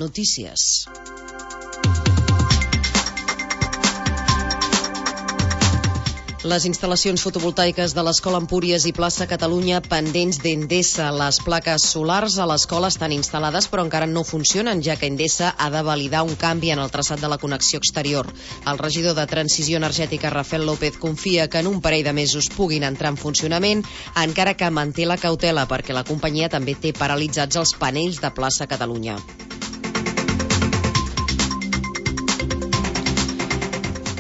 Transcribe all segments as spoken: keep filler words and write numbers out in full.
Notícies. Les instal·lacions fotovoltaiques de l'Escola Empúries i Plaça Catalunya pendents d'Endesa. Les plaques solars a l'escola estan instal·lades però encara no funcionen, ja que Endesa ha de validar un canvi en el traçat de la connexió exterior. El regidor de Transició Energètica, Rafael López, confia que en un parell de mesos puguin entrar en funcionament, encara que manté la cautela perquè la companyia també té paralitzats els panells de Plaça Catalunya.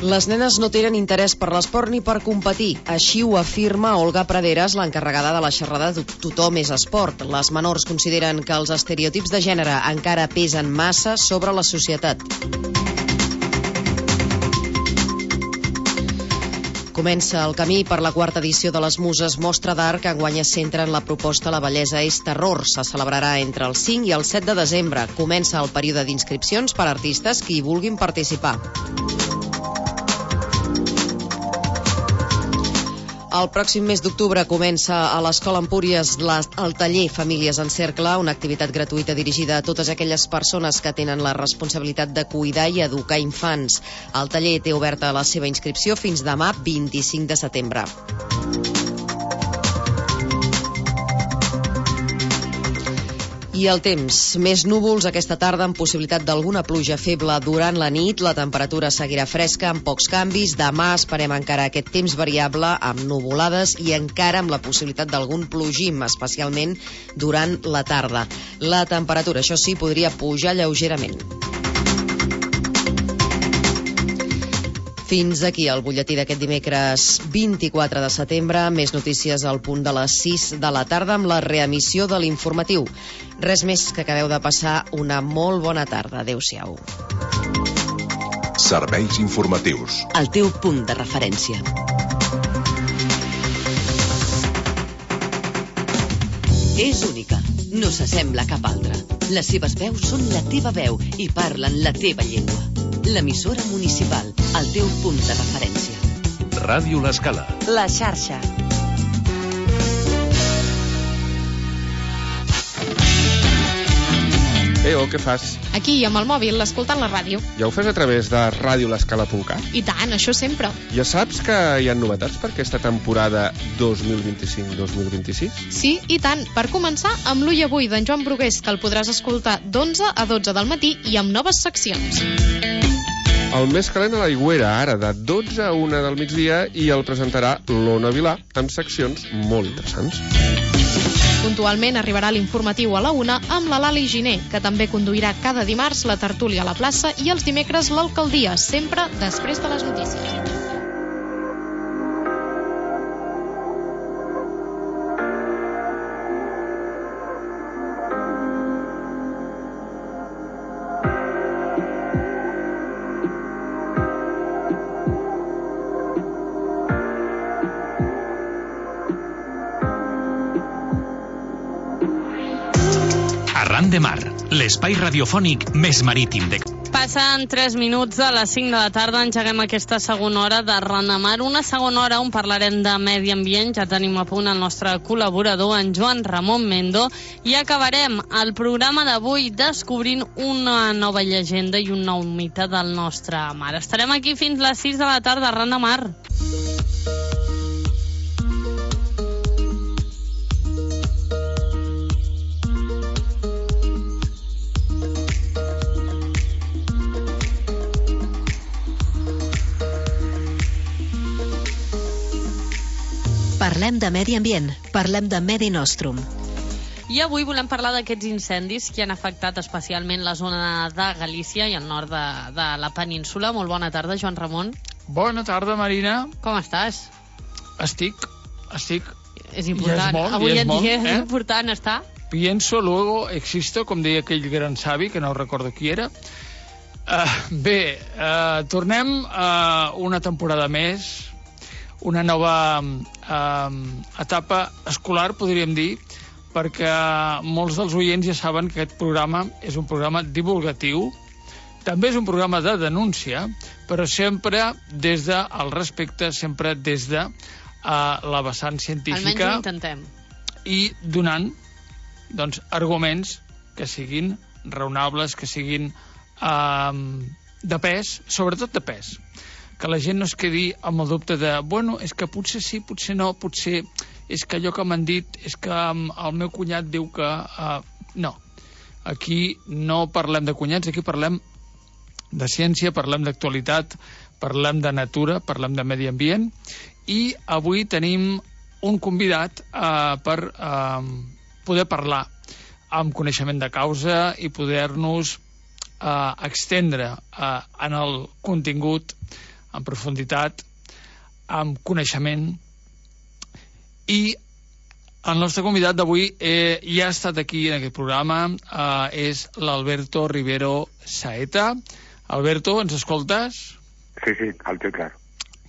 Les nenes no tenen interès per l'esport ni per competir. Així ho afirma Olga Praderas, l'encarregada de la xerrada Tothom és esport. Les menors consideren que els estereotips de gènere encara pesen massa sobre la societat. Comença el camí per la quarta edició de les Muses Mostra d'Art, que enguany es centra en la proposta La bellesa és terror. Se celebrarà entre el cinc i el set de desembre. Comença el període d'inscripcions per a artistes que hi vulguin participar. El pròxim mes d'octubre comença a l'Escola Empúries el taller Famílies en Cercle, una activitat gratuïta dirigida a totes aquelles persones que tenen la responsabilitat de cuidar i educar infants. El taller té oberta la seva inscripció fins demà, vint-i-cinc de setembre. I el temps. Més núvols aquesta tarda amb possibilitat d'alguna pluja feble durant la nit. La temperatura seguirà fresca amb pocs canvis. Demà esperem encara aquest temps variable amb nuvolades i encara amb la possibilitat d'algun plogim, especialment durant la tarda. La temperatura, això sí, podria pujar lleugerament. Fins aquí el butlletí d'aquest dimecres vint-i-quatre de setembre. Més notícies al punt de les sis de la tarda amb la reemissió de l'informatiu. Res més, que acabeu de passar una molt bona tarda. Adéu-siau. Serveis informatius. El teu punt de referència. És única. No s'assembla a cap altra. Les seves veus són la teva veu i parlen la teva llengua. L'emissora municipal, el teu punt de referència. Ràdio L'Escala. La xarxa. Eo, què fas? Aquí, amb el mòbil, escoltant la ràdio. Ja ho fes a través de ràdio l'escala punt cat? I tant, això sempre. Ja saps que hi ha novetats per aquesta temporada dos mil vint-i-cinc dos mil vint-i-sis? Sí, i tant. Per començar, amb l'Ull Avui d'en Joan Brugués, que el podràs escoltar d'onze a dotze del matí i amb noves seccions. El més calent a l'Aigüera, ara de dotze a una del migdia, i el presentarà l'Ona Vilà, amb seccions molt interessants. Puntualment arribarà l'informatiu a la una amb la Lali Giner, que també conduirà cada dimarts la tertúlia a la plaça i els dimecres l'alcaldia, sempre després de les notícies. Arran de Mar, l'espai radiofònic més marítim de... Passen tres minuts de les cinc de la tarda, engeguem aquesta segona hora de Arran de Mar, una segona hora on parlarem de medi ambient. Ja tenim a punt el nostre col·laborador, en Joan Ramon Mendo, i acabarem el programa d'avui descobrint una nova llegenda i un nou mite del nostre mar. Estarem aquí fins les sis de la tarda, Arran de Mar. Parlem de medi ambient, parlem de Medi Nostrum. I avui volem parlar d'aquests incendis que han afectat especialment la zona de Galícia i el nord de, de la península. Molt bona tarda, Joan Ramon. Bona tarda, Marina. Com estàs? Estic, estic... És important, és molt, avui és en molt, dia és eh? important estar. Pienso, luego existo, com deia aquell gran savi, que no recordo qui era. Uh, bé, uh, tornem a una temporada més, una nova eh, etapa escolar, podríem dir, perquè molts dels oients ja saben que aquest programa és un programa divulgatiu, també és un programa de denúncia, però sempre des del respecte, sempre des de eh, la vessant científica. Almenys ho intentem. I donant doncs, arguments que siguin raonables, que siguin eh, de pes, sobretot de pes. Que la gent no es quedi amb el dubte de, bueno, és que potser sí, potser no, potser és que allò que m'han dit, és que el meu cunyat diu que... Eh, no, aquí no parlem de cunyats, aquí parlem de ciència, parlem d'actualitat, parlem de natura, parlem de medi ambient, i avui tenim un convidat eh, per eh, poder parlar amb coneixement de causa i poder-nos eh, extendre eh, en el contingut, en profunditat, amb coneixement. I el nostre convidat d'avui eh, ja ha estat aquí en aquest programa, eh, és l'Alberto Rivero Saeta. Alberto, ens escoltes? Sí, sí, alto i clar.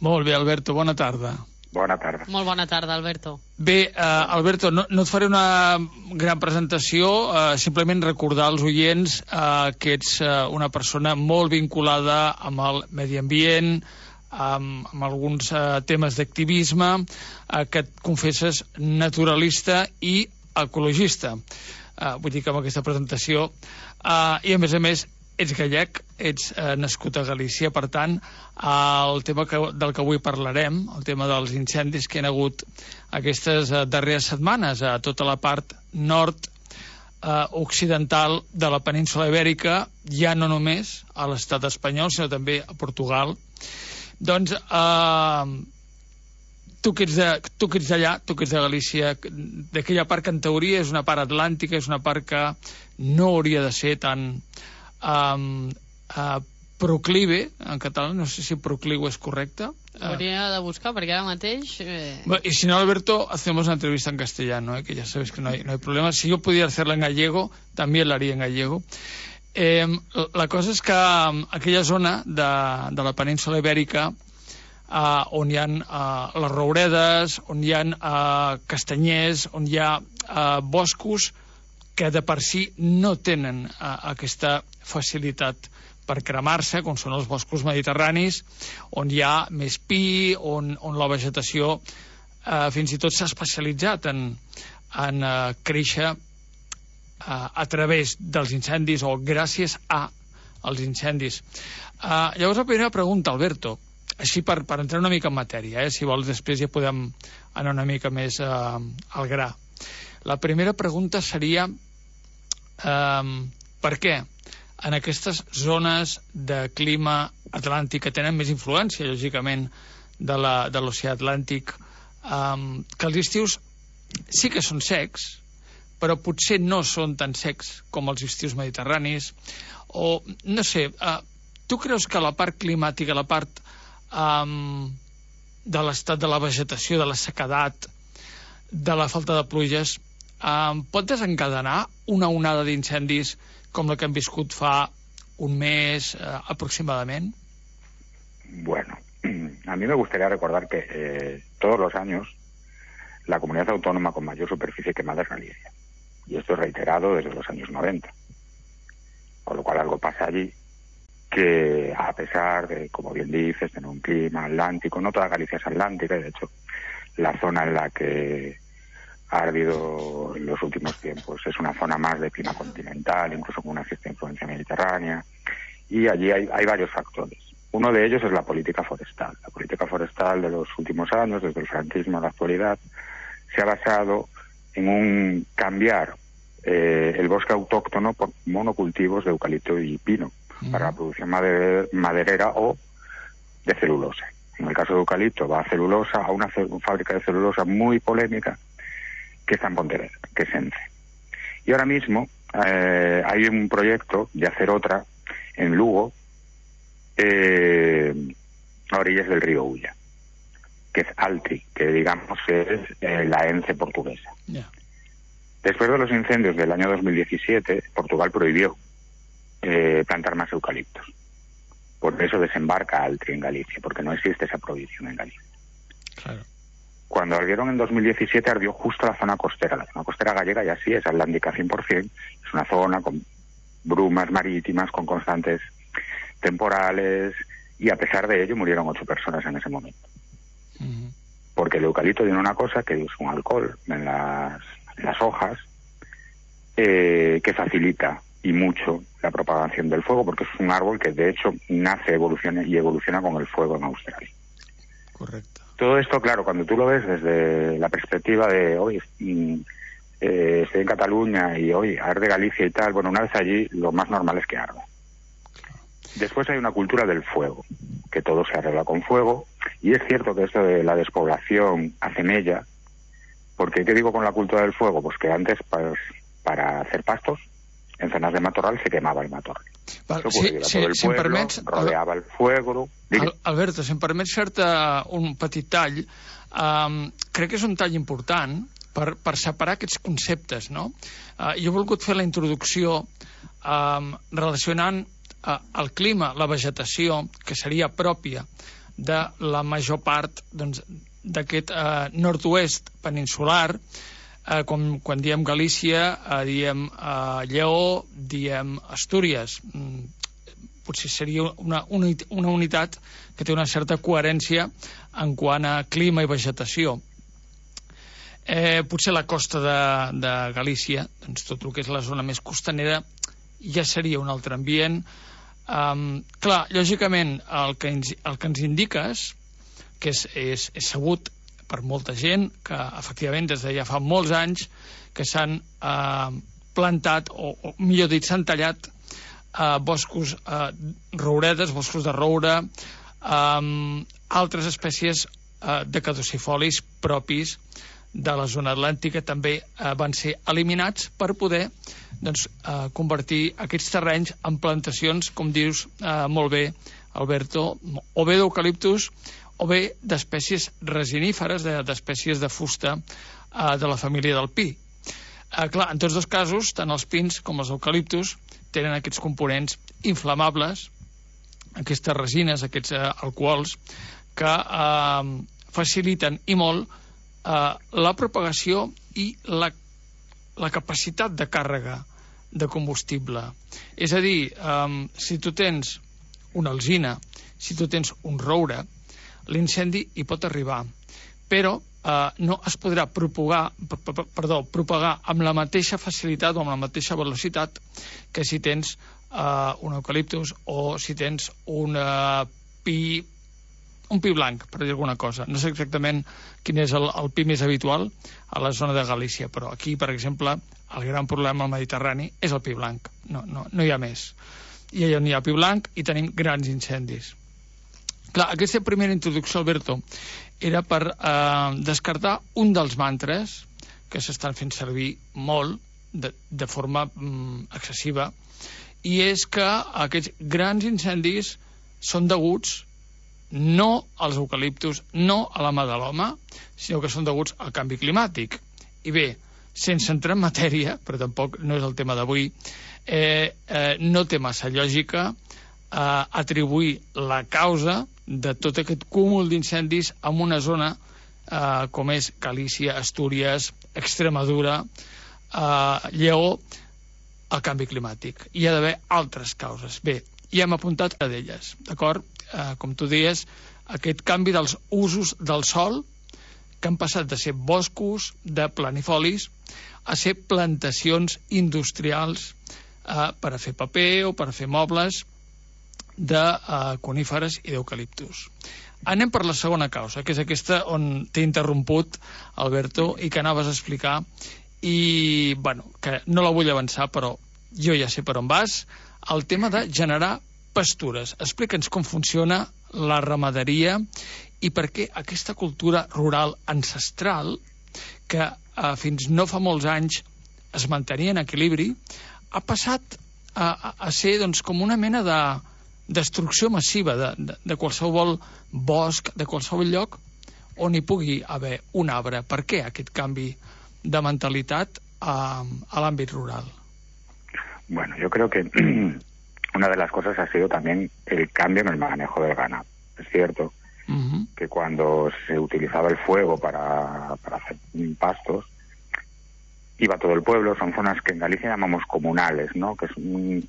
Molt bé, Alberto, bona tarda. Bona tarda. Molt bona tarda, Alberto. Bé, eh, Alberto, no, no et faré una gran presentació, eh, simplement recordar als oients eh, que ets eh, una persona molt vinculada amb el medi ambient, amb, amb alguns eh, temes d'activisme, eh, que et confesses naturalista i ecologista. Eh, vull dir que amb aquesta presentació, eh, i a més a més, ets gallec, ets eh, nascut a Galícia, per tant, eh, el tema que, del que avui parlarem, el tema dels incendis que hi ha hagut aquestes eh, darreres setmanes a tota la part nord eh, occidental de la península Ibèrica, ja no només a l'estat espanyol, sinó també a Portugal. Doncs, eh, tu que ets de, tu que ets d'allà, tu que ets de Galícia, d'aquella part que en teoria és una part atlàntica, és una part que no hauria de ser tan... Um, uh, proclive, en català, no sé si proclive és correcte. Hauria de buscar, perquè ara mateix... Eh... Bueno, y si no, Alberto, hacemos una entrevista en castellano, ¿eh? Que ya sabes que no hay, no hay problema. Si yo pudiera hacerla en gallego, también la haría en gallego. Eh, la cosa és que um, aquella zona de, de la península Ibèrica, uh, on hi ha uh, les rouredes, on hi ha uh, castanyers, on hi ha uh, boscos que de per si no tenen uh, aquesta facilitat per cremar-se, com són els boscos mediterranis, on hi ha més pi, on, on la vegetació eh, fins i tot s'ha especialitzat en, en eh, créixer eh, a través dels incendis o gràcies a els incendis. Eh, llavors, la primera pregunta, Alberto, així per, per entrar una mica en matèria, eh, si vols després ja podem anar una mica més eh, al gra. La primera pregunta seria eh, per què en aquestes zones de clima atlàntic que tenen més influència, lògicament, de l'oceà Atlàntic, um, que els estius sí que són secs, però potser no són tan secs com els estius mediterranis, o, no sé, uh, tu creus que la part climàtica, la part um, de l'estat de la vegetació, de la sequedat, de la falta de pluges, um, pot desencadenar una onada d'incendis com la que hem viscut fa un mes eh, aproximadamente? Bueno, a mí me gustaría recordar que eh, todos los años la comunidad autónoma con mayor superficie quemada es Galicia. Y esto es reiterado desde los años noventa. Con lo cual algo pasa allí que, a pesar de, como bien dices, tener un clima atlántico, no toda Galicia es atlántica, y de hecho la zona en la que ha ardido en los últimos tiempos es una zona más de clima continental, incluso con una cierta influencia mediterránea, y allí hay, hay varios factores. Uno de ellos es la política forestal. La política forestal de los últimos años, desde el franquismo a la actualidad, se ha basado en un cambiar eh, el bosque autóctono por monocultivos de eucalipto y pino mm. para la producción mader maderera o de celulosa. En el caso de eucalipto va a celulosa, a una fábrica de celulosa muy polémica que está en Pontevedra, que es ENCE. Y ahora mismo eh, hay un proyecto de hacer otra en Lugo, eh, a orillas del río Ulla, que es Altri, que digamos es eh, la ENCE portuguesa. Yeah. Después de los incendios del año dos mil diecisiete, Portugal prohibió eh, plantar más eucaliptos. Por eso desembarca Altri en Galicia, porque no existe esa prohibición en Galicia. Claro. Cuando ardieron en dos mil diecisiete, ardió justo la zona costera. La zona costera gallega ya sí es atlántica cien por cien. Es una zona con brumas marítimas, con constantes temporales, y a pesar de ello murieron ocho personas en ese momento. Uh-huh. Porque el eucalipto tiene una cosa, que es un alcohol en las, en las hojas, eh, que facilita y mucho la propagación del fuego, porque es un árbol que de hecho nace, evoluciona y evoluciona con el fuego en Australia. Correcto. Todo esto, claro, cuando tú lo ves desde la perspectiva de, hoy eh, estoy en Cataluña y hoy arde Galicia y tal, bueno, una vez allí lo más normal es que arda. Después hay una cultura del fuego, que todo se arregla con fuego, y es cierto que esto de la despoblación hace mella, porque ¿qué digo con la cultura del fuego? Pues que antes pues, para hacer pastos, en zonas de matorral se quemava el matorral. Val, sí, sí, tot el si em pueblo, permets... rodeava el fuego... Al, Alberto, si em permets fer-te un petit tall, um, crec que és un tall important per, per separar aquests conceptes, no? Uh, jo he volgut fer la introducció um, relacionant uh, el clima, la vegetació, que seria pròpia de la major part doncs, d'aquest uh, nord-oest peninsular. Eh, com, quan diem Galícia, eh, diem eh, Lleó, diem Astúries. Mm, potser seria una, una, una unitat que té una certa coherència en quant a clima i vegetació. Eh, potser la costa de, de Galícia, doncs tot el que és la zona més costanera, ja seria un altre ambient. Um, clar, lògicament, el que ens, el que ens indiques, que és, és, és sabut per molta gent, que efectivament des de ja fa molts anys que s'han eh, plantat, o, o millor dit, s'han tallat eh, boscos eh, rouredes, boscos de roure, eh, altres espècies eh, de caducifolis propis de la zona atlàntica també eh, van ser eliminats per poder doncs, eh, convertir aquests terrenys en plantacions, com dius eh, molt bé, Alberto, o bé d'eucaliptus o bé d'espècies resiníferes, d'espècies de fusta eh, de la família del pi. Eh, clar, en tots dos casos, tant els pins com els eucaliptus tenen aquests components inflamables, aquestes resines, aquests eh, alcohols, que eh, faciliten i molt eh, la propagació i la, la capacitat de càrrega de combustible. És a dir, eh, si tu tens una alzina, si tu tens un roure, l'incendi hi pot arribar, però eh, no es podrà propagar, perdó, propagar amb la mateixa facilitat o amb la mateixa velocitat que si tens eh, un eucaliptus o si tens un eh, pi un pi blanc, per dir alguna cosa. No sé exactament quin és el, el pi més habitual a la zona de Galícia, però aquí, per exemple, el gran problema al Mediterrani és el pi blanc. No, no, no hi ha més. I allà on hi ha pi blanc i tenim grans incendis. Clar, aquesta primera introducció, Alberto, era per eh, descartar un dels mantres que s'estan fent servir molt, de, de forma mm, excessiva, i és que aquests grans incendis són deguts no als eucaliptus, no a la mà de l'home, sinó que són deguts al canvi climàtic. I bé, sense entrar en matèria, però tampoc no és el tema d'avui, eh, eh, no té massa lògica eh, atribuir la causa de tot aquest cúmul d'incendis en una zona eh, com és Galícia, Astúries, Extremadura, eh, Lleó, al canvi climàtic. Hi ha d'haver altres causes. Bé, ja hem apuntat a d'elles, d'acord? Eh, com tu deies, aquest canvi dels usos del sòl, que han passat de ser boscos, de planifolis, a ser plantacions industrials eh, per a fer paper o per a fer mobles, de uh, coníferes i d'eucaliptus. Anem per la segona causa, que és aquesta on t'he interromput, Alberto, i que anaves a explicar, i, bueno, que no la vull avançar, però jo ja sé per on vas, el tema de generar pastures. Explica'ns com funciona la ramaderia i per què aquesta cultura rural ancestral, que uh, fins no fa molts anys es mantenia en equilibri, ha passat a, a, a ser doncs, com una mena de destrucció massiva de, de, de qualsevol bosc, de qualsevol lloc on hi pugui haver un arbre. Per què aquest canvi de mentalitat a, a l'àmbit rural? Bueno, yo creo que una de las cosas ha sido también el cambio en el manejo del ganado. Es cierto uh-huh. que cuando se utilizaba el fuego para, para hacer pastos, iba todo el pueblo. Son zonas que en Galicia llamamos comunales, ¿no? Que es un,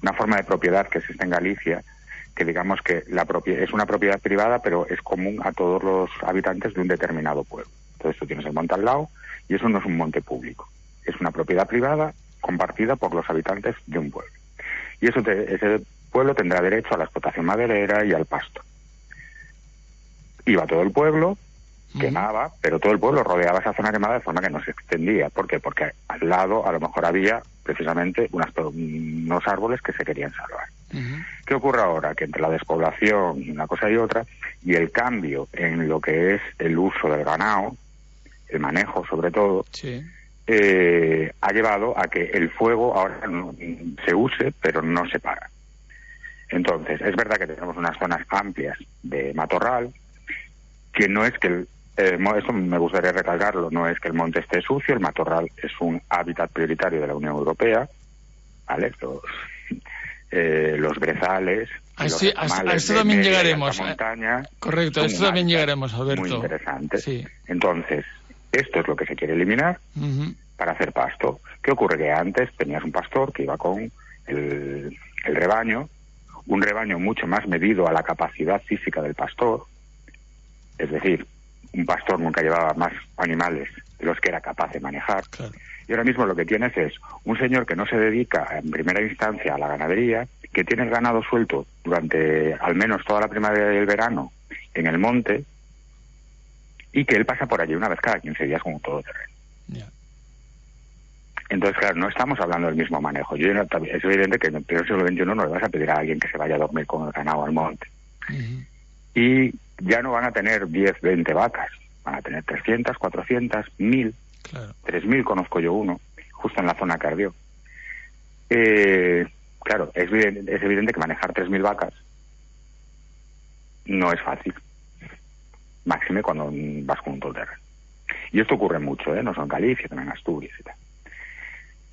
una forma de propiedad que existe en Galicia, que digamos que la propia, es una propiedad privada, pero es común a todos los habitantes de un determinado pueblo. Entonces tú tienes el monte al lado y eso no es un monte público. Es una propiedad privada compartida por los habitantes de un pueblo. Y eso te, ese pueblo tendrá derecho a la explotación maderera y al pasto. Iba todo el pueblo, quemaba, pero todo el pueblo rodeaba esa zona quemada de forma que no se extendía. ¿Por qué? Porque al lado a lo mejor había precisamente unas, unos árboles que se querían salvar. Uh-huh. ¿Qué ocurre ahora? Que entre la despoblación y una cosa y otra, y el cambio en lo que es el uso del ganado, el manejo sobre todo, sí. eh, ha llevado a que el fuego ahora no, se use, pero no se para. Entonces, es verdad que tenemos unas zonas amplias de matorral, que no es que el Eh, eso me gustaría recalcarlo, no es que el monte esté sucio, el matorral es un hábitat prioritario de la Unión Europea, ¿vale? Los, eh, los brezales, a, los sí, a, a esto también llegaremos. Montaña, correcto, a esto también llegaremos, Alberto. Muy interesante. Sí. Entonces, esto es lo que se quiere eliminar uh-huh. para hacer pasto. ¿Qué ocurre? Que antes tenías un pastor que iba con el, el rebaño, un rebaño mucho más medido a la capacidad física del pastor, es decir, un pastor nunca llevaba más animales de los que era capaz de manejar. Claro. Y ahora mismo lo que tienes es un señor que no se dedica en primera instancia a la ganadería, que tiene el ganado suelto durante al menos toda la primavera y el verano en el monte, y que él pasa por allí una vez cada quince días con un todoterreno. Yeah. Entonces, claro, no estamos hablando del mismo manejo. Yo, es evidente que en el siglo veintiuno no le vas a pedir a alguien que se vaya a dormir con el ganado al monte. Uh-huh. Y ya no van a tener diez, veinte vacas, van a tener trescientas, cuatrocientas, mil, claro. tres mil conozco yo uno, justo en la zona que ardió. Eh, claro, es evidente, es evidente que manejar tres mil vacas no es fácil, máxime cuando vas con un todoterreno. Y esto ocurre mucho, ¿eh? No solo en Galicia, también en Asturias y tal.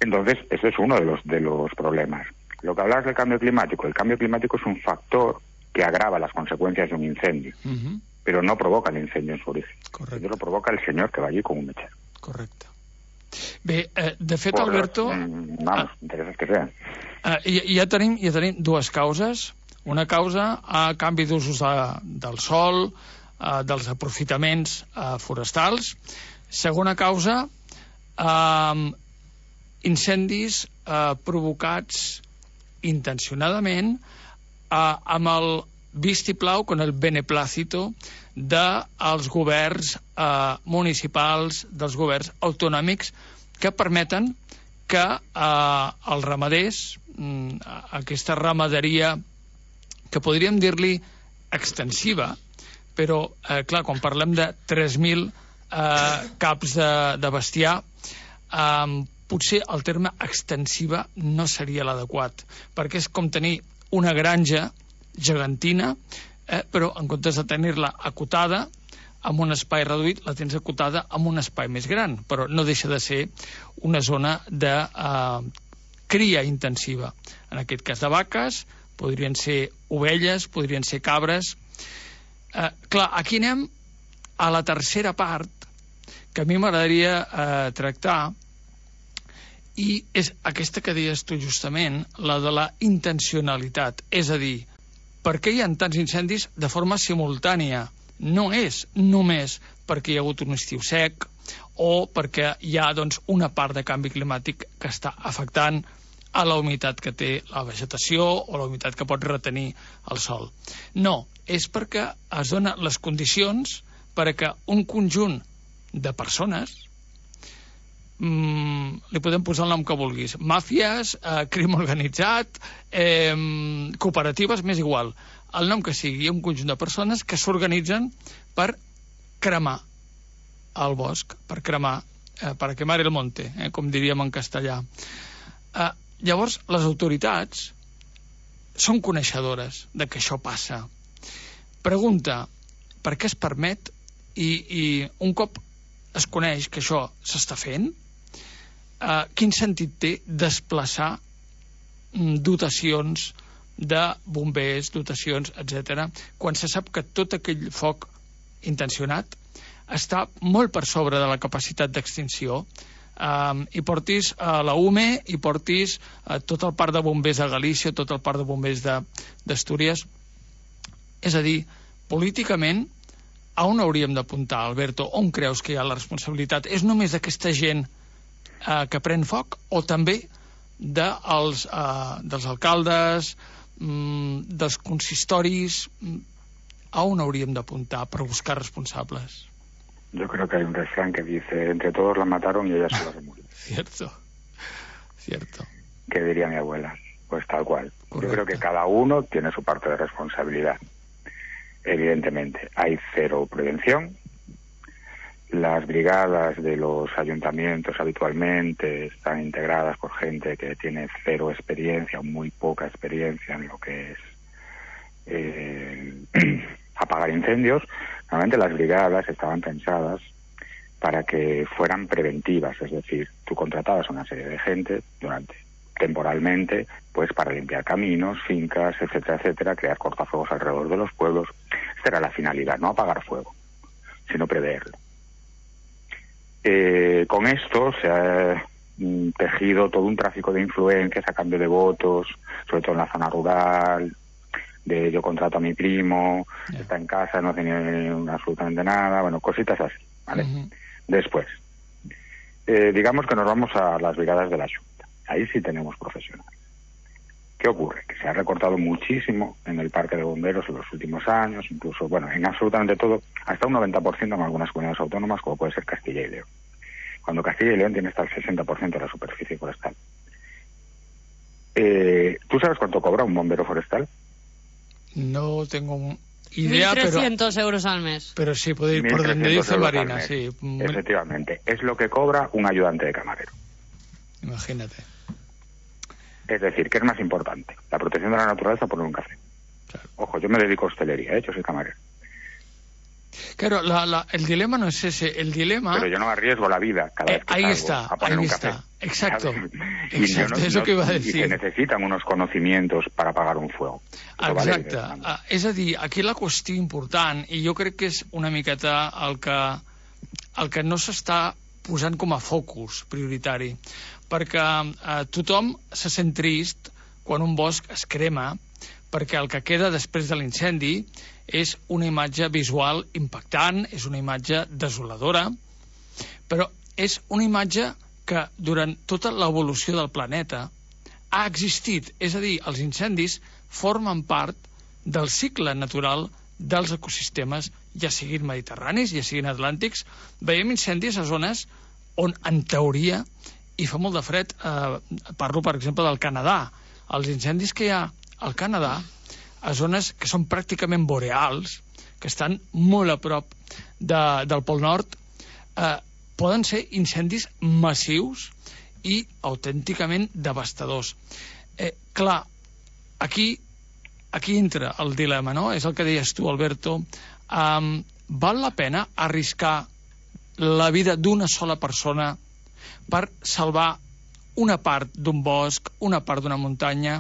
Entonces, eso es uno de los, de los problemas. Lo que hablabas del cambio climático, el cambio climático es un factor que agrava las consecuencias de un incendio, uh-huh. pero no provoca el incendio en su origen. Correcto. Lo provoca el señor que va allí con un mechero. Correcte. Bé, eh, de fet, Por Alberto... Los, mm, vamos, ah, intereses que sean. Eh, ja, tenim, ja tenim dues causes. Una causa a canvi d'usos de, del sol, eh, dels aprofitaments eh, forestals. Segona causa, eh, incendis eh, provocats intencionadament Uh, amb el vistiplau, con el beneplácito dels governs uh, municipals, dels governs autonòmics, que permeten que uh, els ramaders, um, aquesta ramaderia que podríem dir-li extensiva, però, uh, clar, quan parlem de tres mil uh, caps de, de bestiar, um, potser el terme extensiva no seria l'adequat, perquè és com tenir una granja gegantina, eh, però en comptes de tenir-la acotada amb un espai reduït, la tens acotada amb un espai més gran, però no deixa de ser una zona de eh, cria intensiva. En aquest cas de vaques, podrien ser ovelles, podrien ser cabres. Eh, clar, aquí anem a la tercera part que a mi m'agradaria eh, tractar, i és aquesta que deies tu justament, la de la intencionalitat. És a dir, per què hi ha tants incendis de forma simultània? No és només perquè hi ha hagut un estiu sec o perquè hi ha doncs, una part de canvi climàtic que està afectant a la humitat que té la vegetació o la humitat que pot retenir el sol. No, és perquè es donen les condicions per a que un conjunt de persones, Mm, li podem posar el nom que vulguis, màfies, eh, crim organitzat, eh, cooperatives, m'és igual, el nom que sigui, hi ha un conjunt de persones que s'organitzen per cremar el bosc, per cremar, eh, per quemar el monte, eh, com diríem en castellà. Eh, llavors, les autoritats són coneixedores de que això passa. Pregunta, per què es permet i, i un cop es coneix que això s'està fent, Uh, quin sentit té desplaçar mm, dotacions de bombers, dotacions, etcètera, quan se sap que tot aquell foc intencionat està molt per sobre de la capacitat d'extinció, um, i portis a uh, la U M E, i portis uh, tot el parc de bombers de Galícia, tot el parc de bombers d'Astúries. És a dir, políticament, a on hauríem d'apuntar, Alberto? On creus que hi ha la responsabilitat? És només d'aquesta gent eh, que pren foc, o també de els, eh, dels alcaldes, mm, dels consistoris. A on hauríem d'apuntar per buscar responsables? Yo creo que hay un refrán que dice, entre todos la mataron y ella sola se murió. Cierto, cierto. ¿Qué diría mi abuela? Pues tal cual. Correcto. Yo creo que cada uno tiene su parte de responsabilidad. Evidentemente, hay cero prevención. Las brigadas de los ayuntamientos habitualmente están integradas por gente que tiene cero experiencia o muy poca experiencia en lo que es eh, apagar incendios. Normalmente las brigadas estaban pensadas para que fueran preventivas, es decir, tú contratabas a una serie de gente durante temporalmente, pues para limpiar caminos, fincas, etcétera, etcétera, crear cortafuegos alrededor de los pueblos. Esta era la finalidad, no apagar fuego, sino preverlo. Eh, con esto se ha mm, tejido todo un tráfico de influencias a cambio de votos, sobre todo en la zona rural, de yo contrato a mi primo, yeah. está en casa, no tiene absolutamente nada, bueno, cositas así, ¿vale? Uh-huh. Después, eh, digamos que nos vamos a las brigadas de la Xunta. Ahí sí tenemos profesionales. ¿Qué ocurre? Que se ha recortado muchísimo en el parque de bomberos en los últimos años, incluso, bueno, en absolutamente todo, hasta un noventa por ciento en algunas comunidades autónomas, como puede ser Castilla y León. Cuando Castilla y León tiene hasta el sesenta por ciento de la superficie forestal. Eh, ¿Tú sabes cuánto cobra un bombero forestal? No tengo idea, mil trescientos euros al mes. Pero sí, puede ir por donde dice Marina, sí. Efectivamente, es lo que cobra un ayudante de camarero. Imagínate. Es decir, ¿qué es más importante? La protección de la naturaleza o poner un café. Claro. Ojo, yo me dedico a hostelería, ¿eh? Yo soy camarero. Claro, la, la, el dilema no es ese, el dilema... Pero yo no arriesgo la vida cada eh, vez que ahí salgo está, a poner ahí un está. café. Exacto, y exacto, no, és el no, que iba a decir. Y se necesitan unos conocimientos para apagar un fuego. Eso Exacte, vale, uh, és a dir, aquí la qüestió important, i jo crec que és una miqueta el que, el que no s'està posant com a focus prioritari, perquè uh, tothom se sent trist quan un bosc es crema, perquè el que queda després de l'incendi és una imatge visual impactant, és una imatge desoladora, però és una imatge que durant tota l'evolució del planeta ha existit. És a dir, els incendis formen part del cicle natural dels ecosistemes, ja siguin mediterranis, ja siguin atlàntics. Veiem incendis a zones on, en teoria, i fa molt de fred, eh, parlo, per exemple, del Canadà. Els incendis que hi ha al Canadà, a zones que són pràcticament boreals, que estan molt a prop de, del Pol Nord, eh, poden ser incendis massius i autènticament devastadors. Eh, clar, aquí, aquí entra el dilema, no? És el que deies tu, Alberto. Um, val la pena arriscar la vida d'una sola persona per salvar una part d'un bosc, una part d'una muntanya?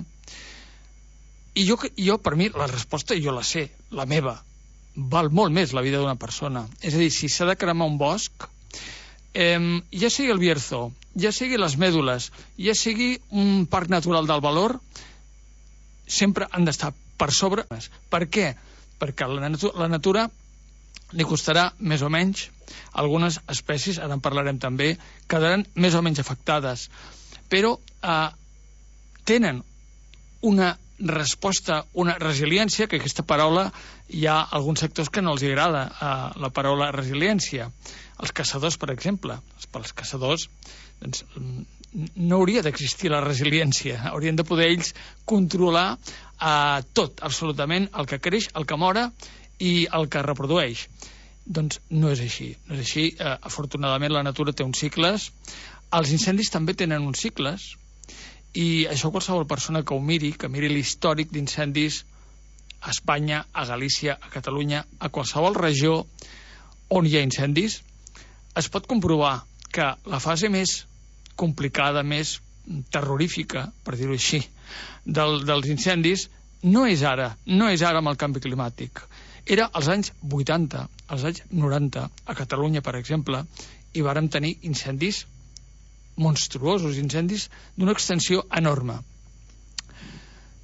I jo, jo, per mi, la resposta jo la sé, la meva. Val molt més la vida d'una persona. És a dir, si s'ha de cremar un bosc, eh, ja sigui el Bierzo, ja sigui les Mèdules, ja sigui un parc natural del Valor, sempre han d'estar per sobre. Per què? Perquè la, natu la natura li costarà més o menys. Algunes espècies, ara en parlarem també, quedaran més o menys afectades. Però eh, tenen una resposta, una resiliència, que aquesta paraula hi ha alguns sectors que no els agrada, eh, la paraula resiliència. Els caçadors, per exemple, pels caçadors doncs, no hauria d'existir la resiliència, haurien de poder ells controlar eh, tot, absolutament, el que creix, el que mora i el que reprodueix. Doncs no és així, no és així. Eh, afortunadament la natura té uns cicles, els incendis també tenen uns cicles, i això qualsevol persona que ho miri, que miri l'històric d'incendis a Espanya, a Galícia, a Catalunya, a qualsevol regió on hi ha incendis, es pot comprovar que la fase més complicada, més terrorífica, per dir-ho així, del, dels incendis, no és ara, no és ara amb el canvi climàtic. Era als anys vuitanta, als anys noranta, a Catalunya, per exemple, i vàrem tenir incendis monstruosos, incendis d'una extensió enorme.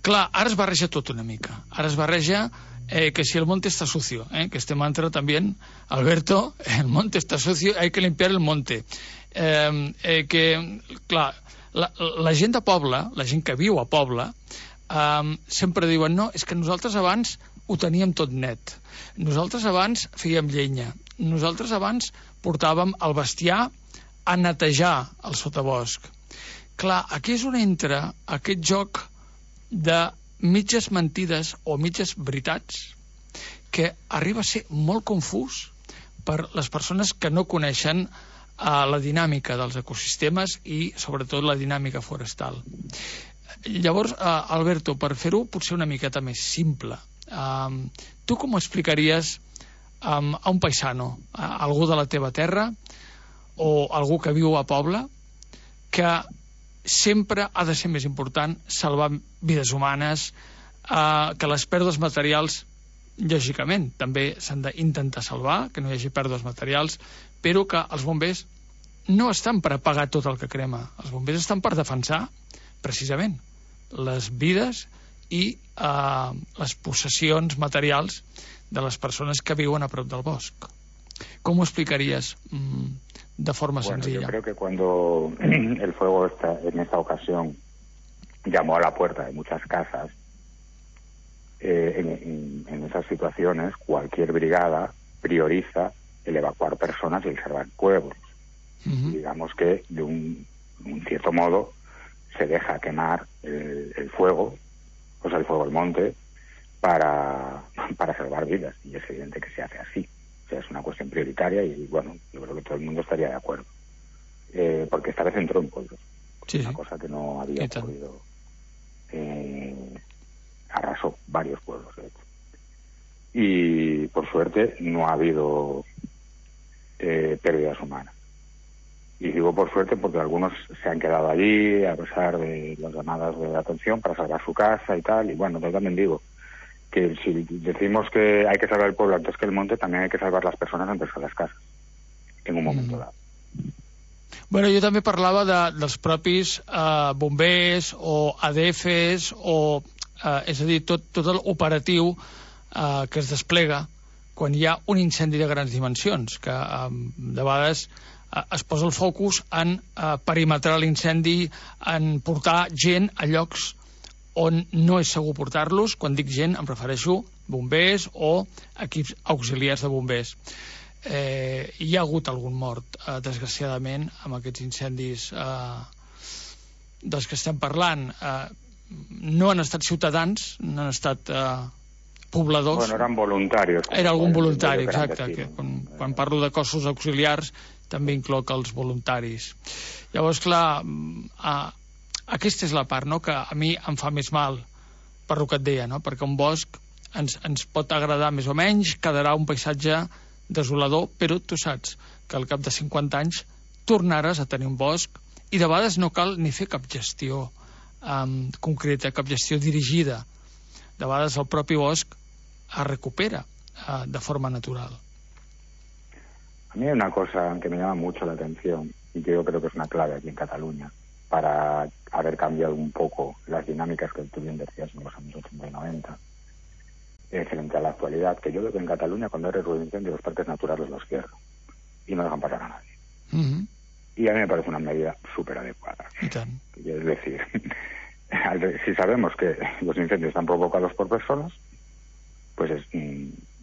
Clar, ara es barreja tot una mica. Ara es barreja eh, que si el monte está sucio, eh, que este mantra también, Alberto, el monte está sucio, hay que limpiar el monte. Eh, eh, que, clar, la, la gent de poble, la gent que viu a poble, um, sempre diuen, no, és que nosaltres abans ho teníem tot net. Nosaltres abans fèiem llenya. Nosaltres abans portàvem el bestiar a netejar el sotabosc. Clar, aquí és on entra aquest joc de mitges mentides o mitges veritats que arriba a ser molt confús per les persones que no coneixen uh, la dinàmica dels ecosistemes i, sobretot, la dinàmica forestal. Llavors, uh, Alberto, per fer-ho potser una miqueta més simple, um, tu com ho explicaries um, a un paisano, a algú de la teva terra o algú que viu a poble, que sempre ha de ser més important salvar vides humanes, uh, que les pèrdues materials lògicament, també s'han d'intentar salvar, que no hi hagi pèrdues materials, però que els bombers no estan per apagar tot el que crema. Els bombers estan per defensar, precisament, les vides i eh, les possessions materials de les persones que viuen a prop del bosc. Com ho explicaries mm, de forma bueno, sencilla? Yo creo que cuando el fuego está, en esta ocasión llamó a la puerta de muchas casas, Eh, en, en, en esas situaciones cualquier brigada prioriza el evacuar personas y el salvar pueblos. Uh-huh. Digamos que de un, un cierto modo se deja quemar el, el fuego, o sea, el fuego del monte, para, para salvar vidas, y es evidente que se hace así. O sea, es una cuestión prioritaria y, bueno, yo creo que todo el mundo estaría de acuerdo. Eh, porque esta vez entró en pueblos. Sí, una sí. cosa que no había ocurrido. Eh, arrasó varios pueblos, de hecho. Y, por suerte, no ha habido eh, pérdidas humanas. Y digo por suerte porque algunos se han quedado allí a pesar de las llamadas de atención para salvar su casa y tal. Y, bueno, yo también digo que si decimos que hay que salvar el pueblo antes que el monte, también hay que salvar las personas antes que las casas, en un momento mm. dado. Bueno, jo també parlava de, dels propis eh, bombers o A D Fs o, eh, és a dir, tot, tot l'operatiu eh, que es desplega quan hi ha un incendi de grans dimensions, que eh, de vegades eh, es posa el focus en eh, perimetrar l'incendi, en portar gent a llocs on no és segur portar-los. Quan dic gent em refereixo bombers o equips auxiliars de bombers. Eh, hi ha hagut algun mort, eh, desgraciadament, amb aquests incendis eh, dels que estem parlant. Eh, no han estat ciutadans, no han estat eh, pobladors. Bueno, eren voluntaris. Era algun voluntari, exacte. Que, quan, quan parlo de cossos auxiliars, també incloc els voluntaris. Llavors, clar, eh, aquesta és la part, no?, que a mi em fa més mal, per el que et deia, no?, perquè un bosc ens, ens pot agradar més o menys, quedarà un paisatge desolador, però tu saps que al cap de cinquanta anys tornaràs a tenir un bosc i de vegades no cal ni fer cap gestió um, concreta, cap gestió dirigida. De vegades el propi bosc es recupera uh, de forma natural. A mí hay una cosa que me llama mucho la atención y que yo creo que es una clave aquí en Cataluña para haber cambiado un poco las dinámicas que tú bien decías en los años ochenta y noventa. Eh, frente a la actualidad, que yo veo que en Cataluña cuando hay riesgo de incendio los parques naturales los cierran y no dejan pasar a nadie. Uh-huh. Y a mí me parece una medida súper adecuada. Es decir, si sabemos que los incendios están provocados por personas, pues es,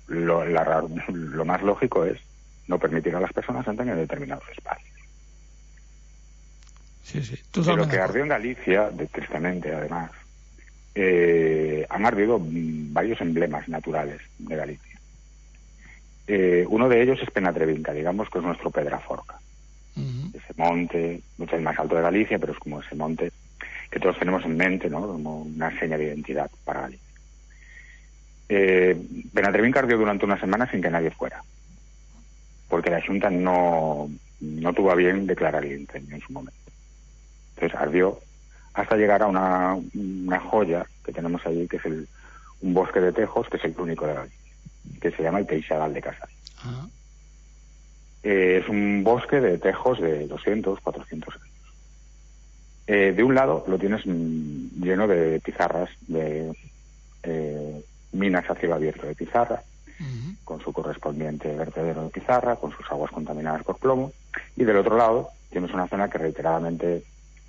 lo, la, lo más lógico es no permitir a las personas entrar en determinados espacios. Sí, sí. Lo que ardió en Galicia, de, tristemente además, Eh, han ardido varios emblemas naturales de Galicia. Eh, uno de ellos es Penatrevinca, digamos que es nuestro Pedraforca. Uh-huh. Ese monte, no es el más alto de Galicia, pero es como ese monte que todos tenemos en mente, ¿no?, como una seña de identidad para Galicia. Eh, Penatrevinca ardió durante una semana sin que nadie fuera, porque la Junta no, no tuvo a bien declarar el incendio en su momento. Entonces ardió hasta llegar a una, una joya que tenemos allí, que es el, un bosque de tejos, que es el único de Galicia, que se llama el Teixadal de Casal. Uh-huh. Eh, es un bosque de tejos de doscientos, cuatrocientos años. Eh, de un lado lo tienes mm, lleno de pizarras, de eh, minas a cielo abierto de pizarra, uh-huh, con su correspondiente vertedero de pizarra, con sus aguas contaminadas por plomo, y del otro lado tienes una zona que reiteradamente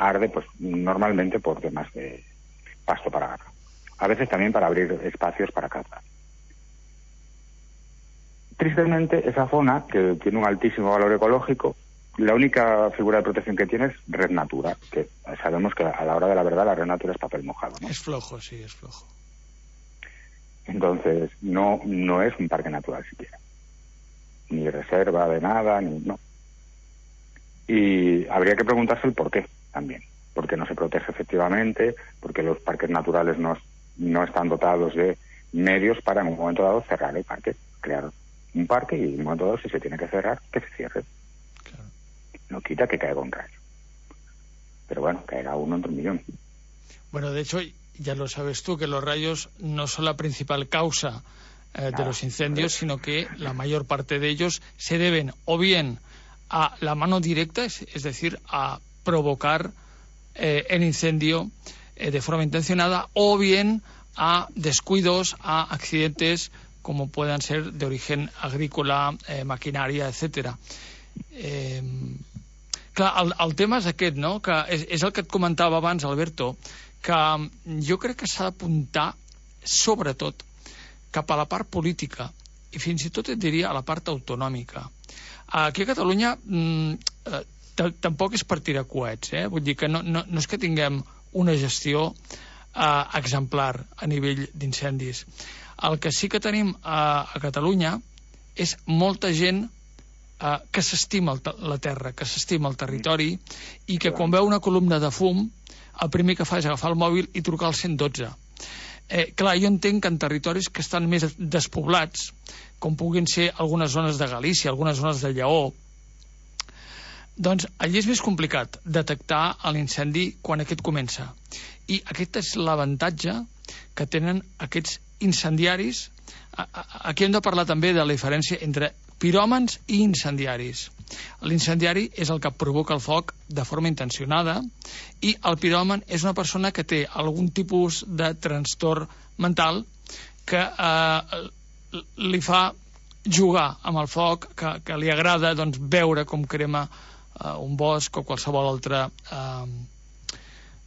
arde pues normalmente por temas de pasto para ganado. A veces también para abrir espacios para caza. Tristemente, esa zona, que tiene un altísimo valor ecológico, la única figura de protección que tiene es Red Natura, que sabemos que a la hora de la verdad la Red Natura es papel mojado, ¿no? Es flojo, sí, es flojo. Entonces, no, no es un parque natural siquiera. Ni reserva de nada, ni no. Y habría que preguntarse el por qué también. ¿Por qué no se protege efectivamente? ¿Por qué los parques naturales no, no están dotados de medios para en un momento dado cerrar el parque? Crear un parque y en un momento dado, si se tiene que cerrar, que se cierre. Claro. No quita que caiga un rayo. Pero bueno, caerá uno entre un millón. Bueno, de hecho, ya lo sabes tú, que los rayos no son la principal causa eh, de los incendios, sino que la mayor parte de ellos se deben o bien a la mano directa, es, es decir, a provocar eh, el incendio eh, de forma intencionada, o bien a descuidos, a accidentes como puedan ser de origen agrícola, eh, maquinària, etcètera. Eh, clar, el, el tema és aquest, no?, que és, és el que et comentava abans, Alberto, que jo crec que s'ha d'apuntar sobretot cap a la part política i fins i tot et diria a la part autonòmica. Aquí a Catalunya eh, tampoc és per tirar coets, eh? Vull dir que no, no, no és que tinguem una gestió eh, exemplar a nivell d'incendis. El que sí que tenim a, a Catalunya és molta gent eh, que s'estima la terra, que s'estima el territori i que quan veu una columna de fum el primer que fa és agafar el mòbil i trucar al cent dotze. Eh, clar, jo entenc que en territoris que estan més despoblats, com puguin ser algunes zones de Galícia, algunes zones de Lleó, doncs allí és més complicat detectar l'incendi quan aquest comença. I aquest és l'avantatge que tenen aquests incendiaris. Aquí hem de parlar també de la diferència entre piròmans i incendiaris. L'incendiari és el que provoca el foc de forma intencionada i el piròman és una persona que té algun tipus de trastorn mental que eh, li fa jugar amb el foc, que, que li agrada doncs, veure com crema eh, un bosc o qualsevol altra eh,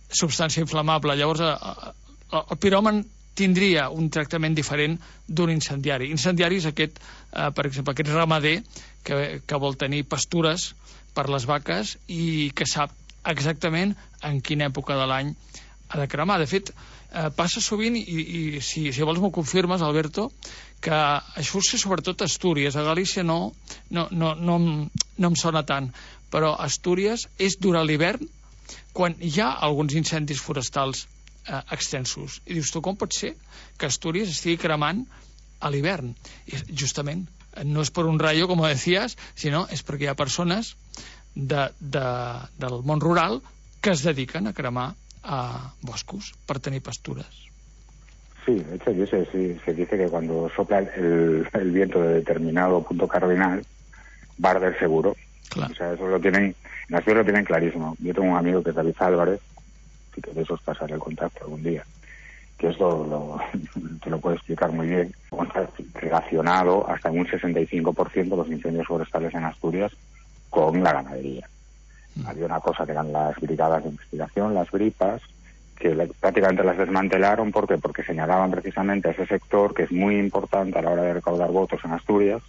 substància inflamable. Llavors eh, el piròman tindria un tractament diferent d'un incendiari. Incendiari és aquest, eh, per exemple, aquest ramader que, que vol tenir pastures per les vaques i que sap exactament en quina època de l'any ha de cremar. De fet, eh, passa sovint, i, i si, si vols m'ho confirmes, Alberto, que això és sobretot a Astúries. A Galícia no, no, no, no, no em sona tant, però a Astúries és durant l'hivern quan hi ha alguns incendis forestals eh, extensos. I dius tu, com pot ser que Astúries estigui cremant a l'hivern? I justament, no és per un rayo, com decías, sinó és perquè hi ha persones de, de, del món rural que es dediquen a cremar a boscos per tenir pastures. Sí, de hecho, se, se dice que cuando sopla el, el viento de determinado punto cardinal, va a arder seguro. Claro. O sea, eso lo tienen, en Asturias lo tienen clarísimo. Yo tengo un amigo que es David Álvarez, así que de eso os pasaré el contacto algún día, que esto lo, te lo puede explicar muy bien. Está relacionado hasta un sesenta y cinco por ciento de los incendios forestales en Asturias con la ganadería. Mm. Había una cosa que eran las brigadas de investigación, las bripas, que prácticamente las desmantelaron. ¿Por qué? Porque señalaban precisamente a ese sector que es muy importante a la hora de recaudar votos en Asturias.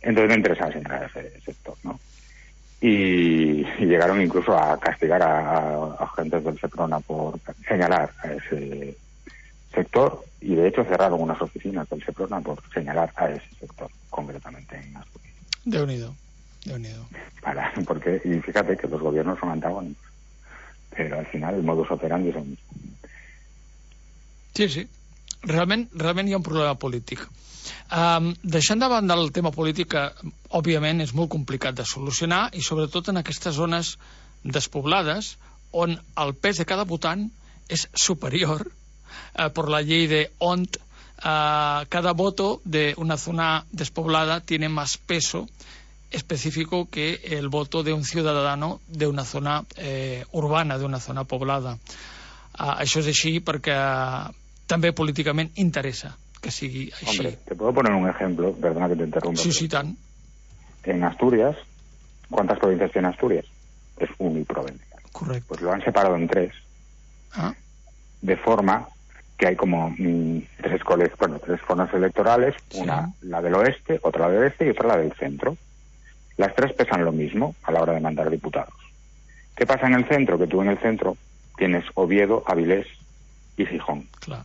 Entonces me interesaba señalar a ese sector, ¿no? Y, y llegaron incluso a castigar a, a agentes del Seprona por señalar a ese sector, y de hecho cerraron unas oficinas del Seprona por señalar a ese sector, concretamente en Asturias. Déu-n'hi-do, Déu-n'hi-do. Para, porque, y fíjate que los gobiernos son antagónicos, pero al final el modus operandi es el mismo. Sí, sí. Realment, realment hi ha un problema polític. Um, deixant de banda el tema polític, que òbviament és molt complicat de solucionar, i sobretot en aquestes zones despoblades on el pes de cada votant és superior uh, per la llei de on uh, cada voto de una zona despoblada tiene más peso específico que el voto de un ciudadano de una zona eh, urbana, de una zona poblada. Uh, això és així perquè uh, també políticament interessa que sigui així. Hombre, te puedo poner un ejemplo, perdona que te interrumpa. Sí, sí, tant. En Asturias, ¿cuántas provincias tiene Asturias? Es uniprovincial. Correcto. Pues lo han separado en tres. Ah. De forma que hay como mmm, tres coles, bueno, tres zonas electorales, sí. Una la del oeste, otra la del este y otra la del centro. Las tres pesan lo mismo a la hora de mandar diputados. ¿Qué pasa en el centro? Que tú en el centro tienes Oviedo, Avilés y Gijón. Claro.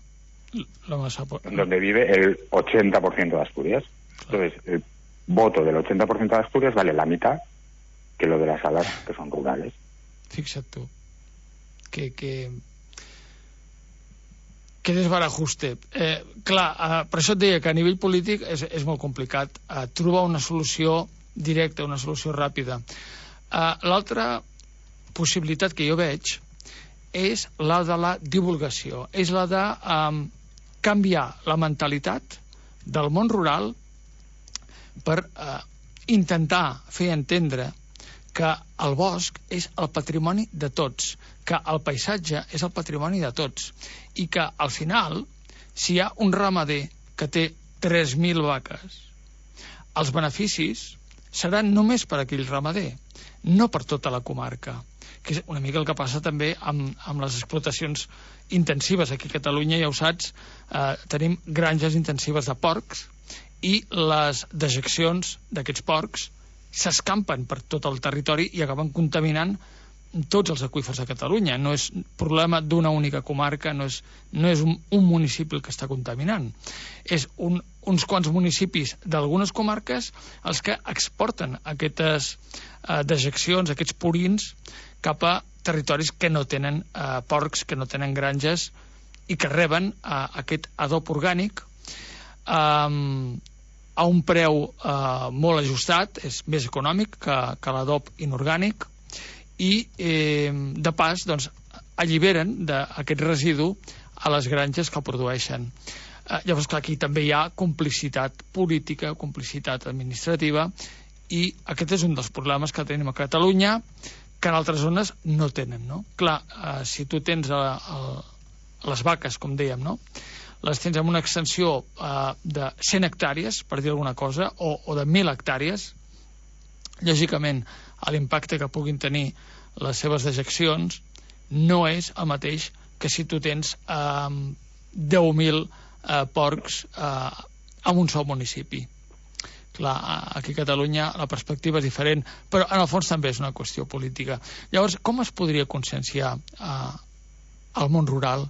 Lo más a... Donde vive el ochenta por ciento de Asturias. Claro. Entonces, el voto del ochenta por ciento de Asturias vale la mitad que lo de las salas que son rurales. Fixa't tu. Que... que... que desbarajuste. Eh, clar, eh, per això et deia que a nivell polític és, és molt complicat eh, trobar una solució directa, una solució ràpida. Eh, L'altra possibilitat que jo veig és la de la divulgació, és la de eh, canviar la mentalitat del món rural per eh, intentar fer entendre que el bosc és el patrimoni de tots, que el paisatge és el patrimoni de tots, i que al final, si hi ha un ramader que té tres mil vaques, els beneficis seran només per aquell ramader, no per tota la comarca, que és una mica el que passa també amb, amb les explotacions intensives aquí a Catalunya. Ja ho saps, eh, tenim granges intensives de porcs i les dejeccions d'aquests porcs s'escampen per tot el territori i acaben contaminant tots els aqüífers de Catalunya. No és problema d'una única comarca, no és, no és un, un municipi el que està contaminant. És un, uns quants municipis d'algunes comarques els que exporten aquestes eh, dejeccions, aquests purins, cap a territoris que no tenen eh, porcs, que no tenen granges i que reben eh, aquest adob orgànic eh, a un preu eh, molt ajustat, és més econòmic que, que l'adob inorgànic, i eh, de pas doncs, alliberen d'aquest residu a les granges que el produeixen. Eh, llavors, clar, aquí també hi ha complicitat política, complicitat administrativa, i aquest és un dels problemes que tenim a Catalunya, que en altres zones no tenen, no? Clar, eh, si tu tens a, a les vaques, com dèiem, no?, les tens amb una extensió eh, de cent hectàrees, per dir alguna cosa, o, o de mil hectàrees, lògicament l'impacte que puguin tenir les seves dejeccions no és el mateix que si tu tens eh, deu mil eh, porcs eh, en un sol municipi. Clar, aquí a Catalunya la perspectiva és diferent, però en el fons també és una qüestió política. Llavors, com es podria conscienciar eh, al món rural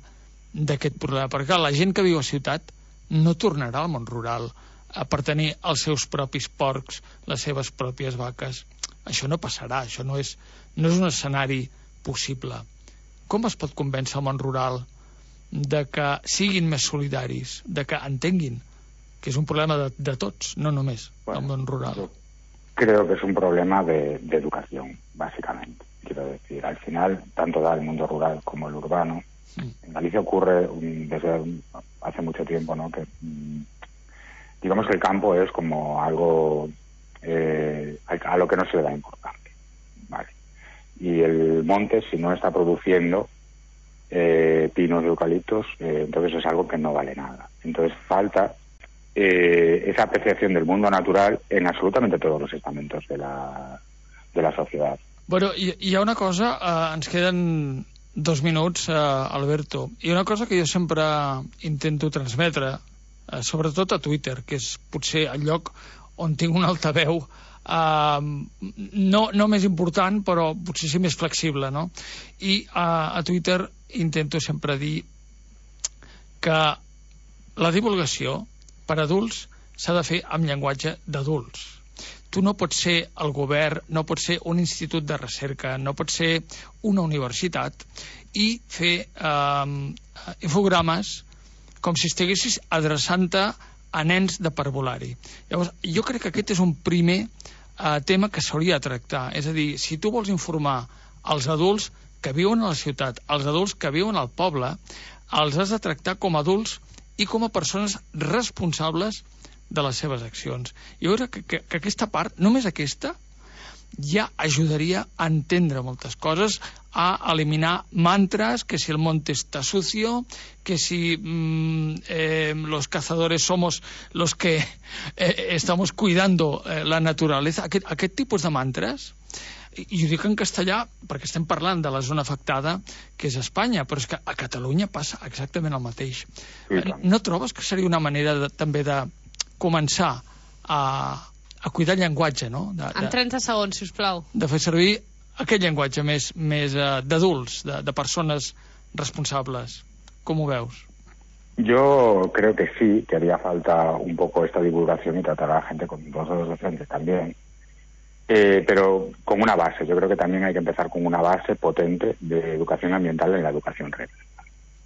d'aquest problema? Perquè clar, la gent que viu a ciutat no tornarà al món rural eh, per tenir els seus propis porcs, les seves pròpies vaques. Això no passarà, això no és, no és un escenari possible. Com es pot convèncer el món rural de que siguin més solidaris, de que entenguin que es un problema de, de tots, no només bueno, del món rural? Creo que es un problema de, de educación, básicamente. Quiero decir, al final, tanto da el mundo rural como el urbano. Sí. En Galicia ocurre um, desde um, hace mucho tiempo, ¿no?, que um, digamos que el campo es como algo eh, a lo que no se le da importancia, ¿vale? Y el monte, si no está produciendo eh, pinos y eucaliptos, eh, entonces es algo que no vale nada. Entonces falta eh, esa apreciación del mundo natural en absolutamente todos los estamentos de la, de la sociedad. Bueno, hi, hi ha una cosa, eh, ens queden dos minuts, eh, Alberto, hi ha una cosa que jo sempre intento transmetre, eh, sobretot a Twitter, que és potser el lloc on tinc un altaveu eh, no, no més important, però potser sí més flexible, no? I eh, a Twitter intento sempre dir que la divulgació per adults s'ha de fer amb llenguatge d'adults. Tu no pots ser el govern, no pots ser un institut de recerca, no pots ser una universitat i fer eh, infogrames com si estiguessis adreçant-te a nens de parvulari. Llavors, jo crec que aquest és un primer eh, tema que s'hauria de tractar. És a dir, si tu vols informar els adults que viuen a la ciutat, els adults que viuen al poble, els has de tractar com a adults i com a persones responsables de les seves accions. Jo crec que, que, que aquesta part, només aquesta, ja ajudaria a entendre moltes coses, a eliminar mantres, que si el monte está sucio, que si mmm, eh, los cazadores somos los que eh, estamos cuidando eh, la naturaleza. Aquest, aquest tipus de mantres I, i ho dic en castellà perquè estem parlant de la zona afectada, que és Espanya, però és que a Catalunya passa exactament el mateix. Sí, no trobes que seria una manera de, també de començar a, a cuidar el llenguatge, no? De, de, en trenta segons, sisplau. De fer servir aquest llenguatge més, més uh, d'adults, de, de persones responsables. Com ho veus? Yo creo que sí, que haría falta un poco esta divulgación y tratar a la gente con los dos docentes también. Eh, pero con una base. Yo creo que también hay que empezar con una base potente de educación ambiental en la educación reglada.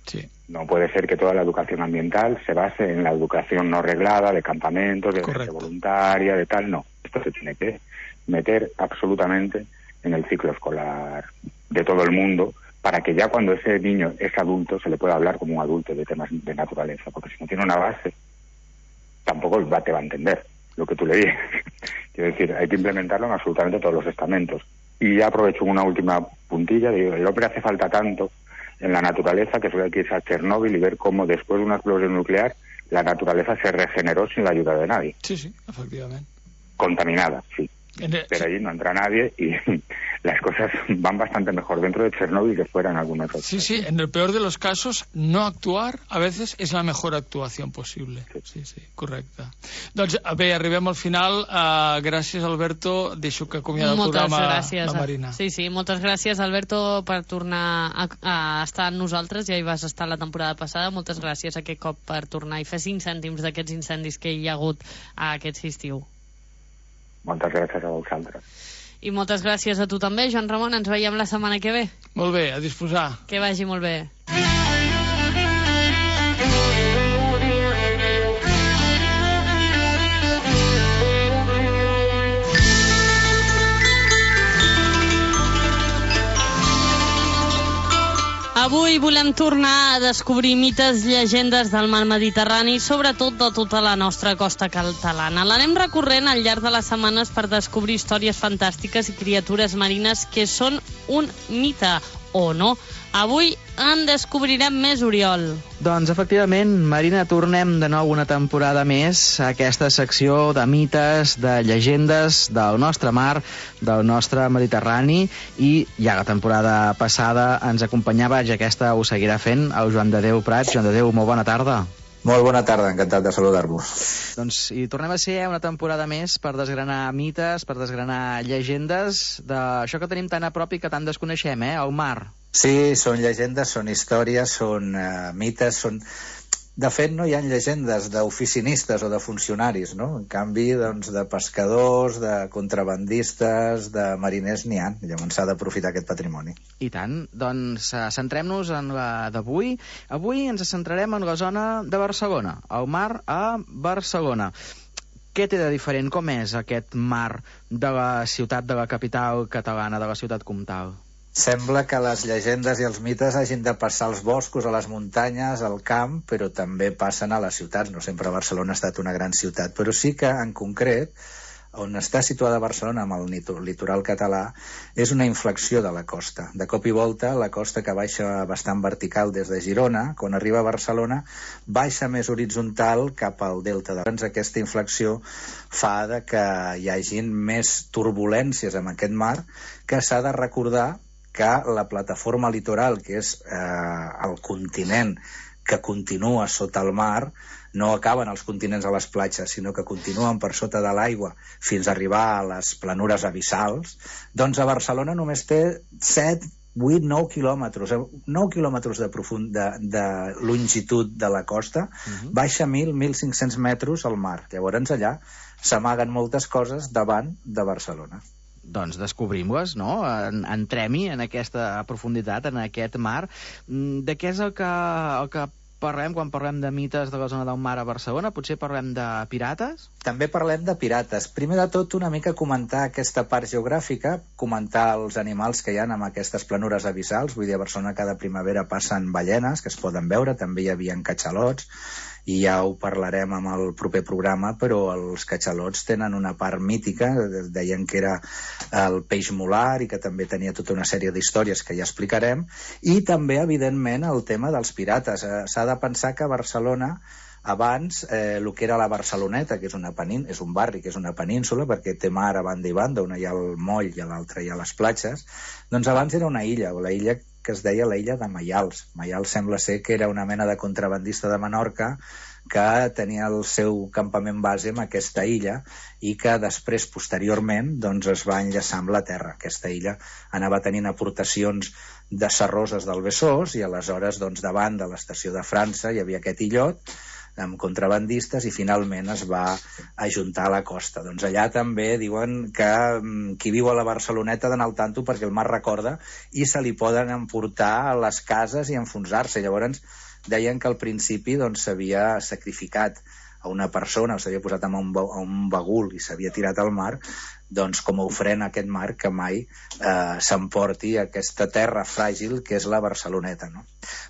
Sí. No puede ser que toda la educación ambiental se base en la educación no reglada, de campamentos, de gente voluntaria, de tal. No, esto se tiene que meter absolutamente en el ciclo escolar de todo el mundo, para que ya cuando ese niño es adulto se le pueda hablar como un adulto de temas de naturaleza, porque si no tiene una base tampoco va, te va a entender lo que tú le dices. Quiero decir, hay que implementarlo en absolutamente todos los estamentos. Y ya aprovecho una última puntilla, digo, el hombre hace falta tanto en la naturaleza que solo hay que irse a Chernóbil y ver cómo después de una explosión nuclear la naturaleza se regeneró sin la ayuda de nadie. Sí, sí, efectivamente. Contaminada, sí. Pero allí no entra nadie y las cosas van bastante mejor dentro de Chernóbil que fuera en algunos otros. Sí, sí, en el peor de los casos, no actuar a veces es la mejor actuación posible. Sí, sí, sí, correcte. Doncs bé, arribem al final. Uh, gràcies, Alberto. Deixo que acomiada el programa gràcies. La Marina. Sí, sí, moltes gràcies, Alberto, per tornar a, a estar amb nosaltres. Ja hi vas estar la temporada passada. Moltes gràcies aquest cop per tornar i fer cinc cèntims d'aquests incendis que hi ha hagut aquest estiu. Moltes gràcies a vosaltres. I moltes gràcies a tu també, Joan Ramon. Ens veiem la setmana que ve. Molt bé, a disposar. Que vagi molt bé. Avui volem tornar a descobrir mites, llegendes del mar Mediterrani, sobretot de tota la nostra costa catalana. L'anem recorrent al llarg de les setmanes per descobrir històries fantàstiques i criatures marines que són un mite, o no. Avui en descobrirem més, Oriol. Doncs, efectivament, Marina, tornem de nou una temporada més a aquesta secció de mites, de llegendes del nostre mar, del nostre Mediterrani, i ja la temporada passada ens acompanyava, ja aquesta ho seguirà fent, el Joan de Déu Prats. Joan de Déu, molt bona tarda. Molt bona tarda, encantat de saludar-vos. Doncs i tornem a ser una temporada més per desgranar mites, per desgranar llegendes d'això que tenim tan a prop i que tant desconeixem, eh? El mar. Sí, són llegendes, són històries, són uh, mites, són... De fet, no hi ha llegendes d'oficinistes o de funcionaris, no? En canvi, doncs, de pescadors, de contrabandistes, de mariners n'hi ha. Llavors s'ha d'aprofitar aquest patrimoni. I tant. Doncs uh, centrem-nos en la d'avui. Avui ens centrarem en la zona de Barcelona, el mar a Barcelona. Què té de diferent? Com és aquest mar de la ciutat, de la capital catalana, de la ciutat comtal? Sembla que les llegendes i els mites hagin de passar als boscos, a les muntanyes, al camp, però també passen a les ciutats. No sempre Barcelona ha estat una gran ciutat, però sí que, en concret, on està situada Barcelona, amb el litoral català, és una inflexió de la costa. De cop i volta, la costa, que baixa bastant vertical des de Girona, quan arriba a Barcelona, baixa més horitzontal cap al delta. Doncs aquesta inflexió fa de que hi hagin més turbulències en aquest mar, que s'ha de recordar que la plataforma litoral, que és eh, el continent que continua sota el mar, no acaben els continents a les platges, sinó que continuen per sota de l'aigua fins a arribar a les planures abissals. Doncs a Barcelona només té set, vuit, nou quilòmetres, nou quilòmetres de, profund, de, de longitud de la costa, uh-huh. Baixa mil, mil cinc-cents metres al mar. Llavors allà s'amaguen moltes coses davant de Barcelona. Doncs descobrim-les, no? Entrem-hi en aquesta profunditat, en aquest mar. De què és el que, el que parlem quan parlem de mites de la zona del mar a Barcelona? Potser parlem de pirates? També parlem de pirates. Primer de tot, una mica comentar aquesta part geogràfica, comentar els animals que hi ha en aquestes planures abissals. Vull dir, a Barcelona cada primavera passen ballenes, que es poden veure, també hi havia catxalots, i ja ho parlarem amb el proper programa, però els catxalots tenen una part mítica, deien que era el peix molar i que també tenia tota una sèrie d'històries que ja explicarem, i també, evidentment, el tema dels pirates. S'ha de pensar que Barcelona abans eh, el que era la Barceloneta, que és, una penín, és un barri, que és una península, perquè té mar a banda i banda, una hi ha el moll i a l'altra hi ha les platges, doncs abans era una illa, o la illa que es deia la illa de Maials. Maials sembla ser que era una mena de contrabandista de Menorca que tenia el seu campament base en aquesta illa i que després, posteriorment, doncs es va enllaçar amb la terra. Aquesta illa anava tenint aportacions de serroses del Besòs i aleshores, doncs, davant de l'estació de França hi havia aquest illot amb contrabandistes i finalment es va ajuntar a la costa. Doncs allà també diuen que qui viu a la Barceloneta ha d'anar al tanto perquè el mar recorda i se li poden emportar a les cases i enfonsar-se. Llavors deien que al principi doncs s'havia sacrificat a una persona, o s'havia posat amb un, a un bagul i s'havia tirat al mar, doncs com a ofrena a aquest mar que mai eh, s'emporti aquesta terra fràgil que és la Barceloneta, no?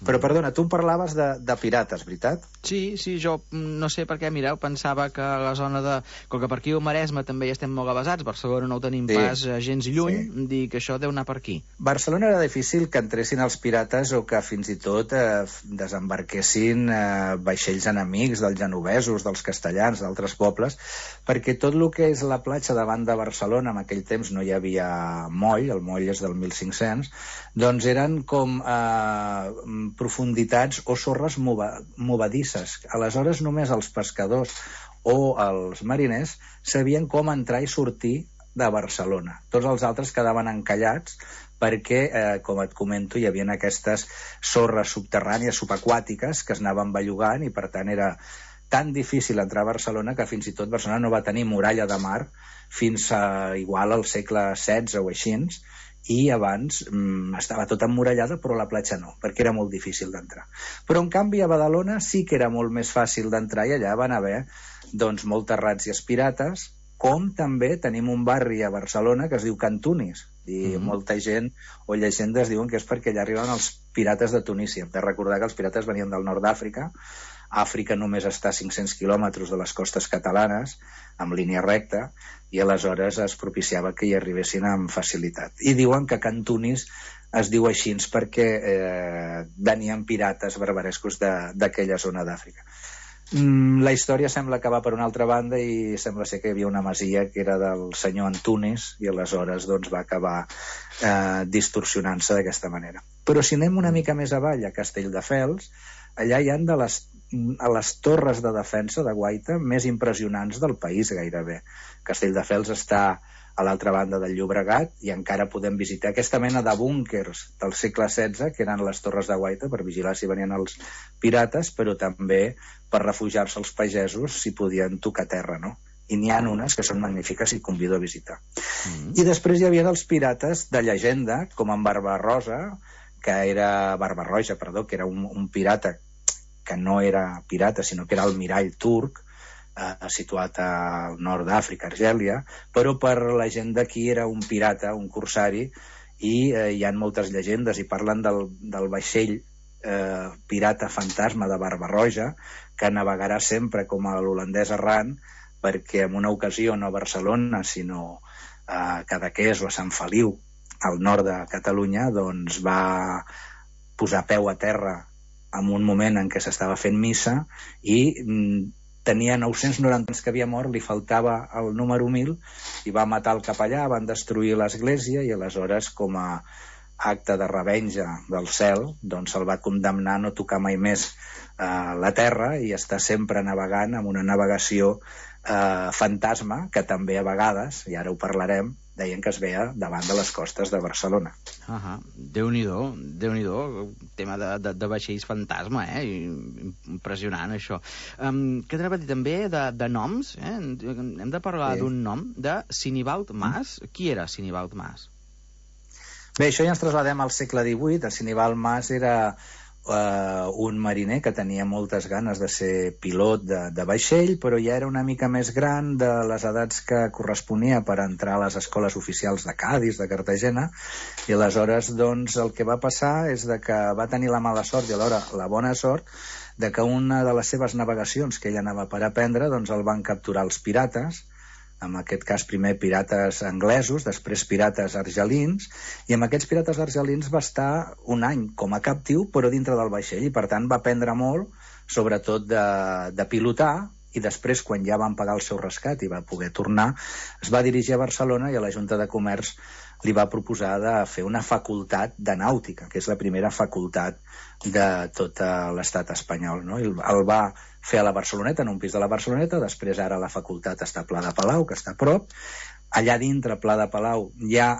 Però, perdona, tu em parlaves de, de pirates, veritat? Sí, sí, jo no sé per què, mireu, pensava que la zona de... Com que per aquí al Maresme també hi estem molt avasats, Barcelona no ho tenim sí. pas gens lluny, sí. dir que això deu anar per aquí. Barcelona era difícil que entressin els pirates o que fins i tot eh, desembarquessin eh, vaixells enemics dels genovesos, dels castellans, d'altres pobles, perquè tot el que és la platja davant de Barcelona, en aquell temps no hi havia moll, el moll és del mil cinc-cents, doncs eren com eh, profunditats o sorres movedisses. Aleshores només els pescadors o els mariners sabien com entrar i sortir de Barcelona. Tots els altres quedaven encallats perquè, eh, com et comento, hi havia aquestes sorres subterrànies, subaquàtiques, que es anaven bellugant i per tant era tan difícil entrar a Barcelona que fins i tot Barcelona no va tenir muralla de mar fins a igual al segle setze o així, i abans mm, estava tot emmurallada però la platja no, perquè era molt difícil d'entrar. Però en canvi a Badalona sí que era molt més fàcil d'entrar i allà van haver doncs moltes ràtzies pirates, com també tenim un barri a Barcelona que es diu Can Tunis, i mm-hmm. molta gent o llegendes diuen que és perquè allà arriben els pirates de Tunísia. Hem de recordar que els pirates venien del nord d'Àfrica. Àfrica només està a cinc-cents quilòmetres de les costes catalanes, amb línia recta, i aleshores es propiciava que hi arribessin amb facilitat. I diuen que Can Tunis es diu així perquè eh, venien pirates barbarescos d'aquella zona d'Àfrica. Mm, la història sembla que va per una altra banda i sembla ser que hi havia una masia que era del senyor Antunis i aleshores doncs, va acabar eh, distorsionant-se d'aquesta manera. Però si anem una mica més avall, a Castelldefels, allà hi ha de les, a les torres de defensa de guaita més impressionants del país gairebé. Castelldefels està a l'altra banda del Llobregat i encara podem visitar aquesta mena de búnkers del segle setze que eren les torres de guaita per vigilar si venien els pirates, però també per refugiar-se els pagesos si podien tocar terra, no? I n'hi ha unes que són magnífiques i convido a visitar. Mm-hmm. I després hi havia els pirates de llegenda, com en Barbarossa, que era Barbarroja, perdó, que era un, un pirata que no era pirata, sinó que era el mirall turc, eh, situat al nord d'Àfrica, Argèlia, però per la gent d'aquí era un pirata, un corsari, i eh, hi ha moltes llegendes i parlen del, del vaixell eh, pirata fantasma de Barbarroja, que navegarà sempre com a l'holandès errant, perquè en una ocasió no a Barcelona, sinó a Cadaqués o a Sant Feliu, al nord de Catalunya, doncs va posar peu a terra en un moment en què s'estava fent missa i mm, tenia nou-cents noranta anys que havia mort, li faltava el número mil i va matar el capellà, van destruir l'església i aleshores com a acte de revenja del cel doncs se'l va condemnar a no tocar mai més eh, la terra i està sempre navegant amb una navegació eh, fantasma que també a vegades, i ara ho parlarem, deien que es veia davant de les costes de Barcelona. Uh-huh. Déu-n'hi-do, Déu-n'hi-do, tema de, de, de vaixells fantasma, eh? Impressionant, això. Um, què t'anava a dir també de, de noms? Eh? Hem de parlar sí. d'un nom, de Sinibald Mas. Mm. Qui era Sinibald Mas? Bé, això ja ens trasladem al segle divuit. El Sinibald Mas era Uh, un mariner que tenia moltes ganes de ser pilot de, de vaixell, però ja era una mica més gran de les edats que corresponia per entrar a les escoles oficials de Cadis, de Cartagena, i aleshores doncs el que va passar és de que va tenir la mala sort i alhora la bona sort de que una de les seves navegacions que ell anava per aprendre doncs el van capturar els pirates, en aquest cas primer pirates anglesos, després pirates argelins, i amb aquests pirates argelins va estar un any com a captiu, però dintre del vaixell, i per tant va aprendre molt sobretot de, de pilotar, i després, quan ja van pagar el seu rescat i va poder tornar, es va dirigir a Barcelona i a la Junta de Comerç li va proposar de fer una facultat de nàutica, que és la primera facultat de tot l'estat espanyol, no? I el va fer a la Barceloneta, en un pis de la Barceloneta, després ara la facultat està a Pla de Palau, que està a prop. Allà dintre, a Pla de Palau, hi ha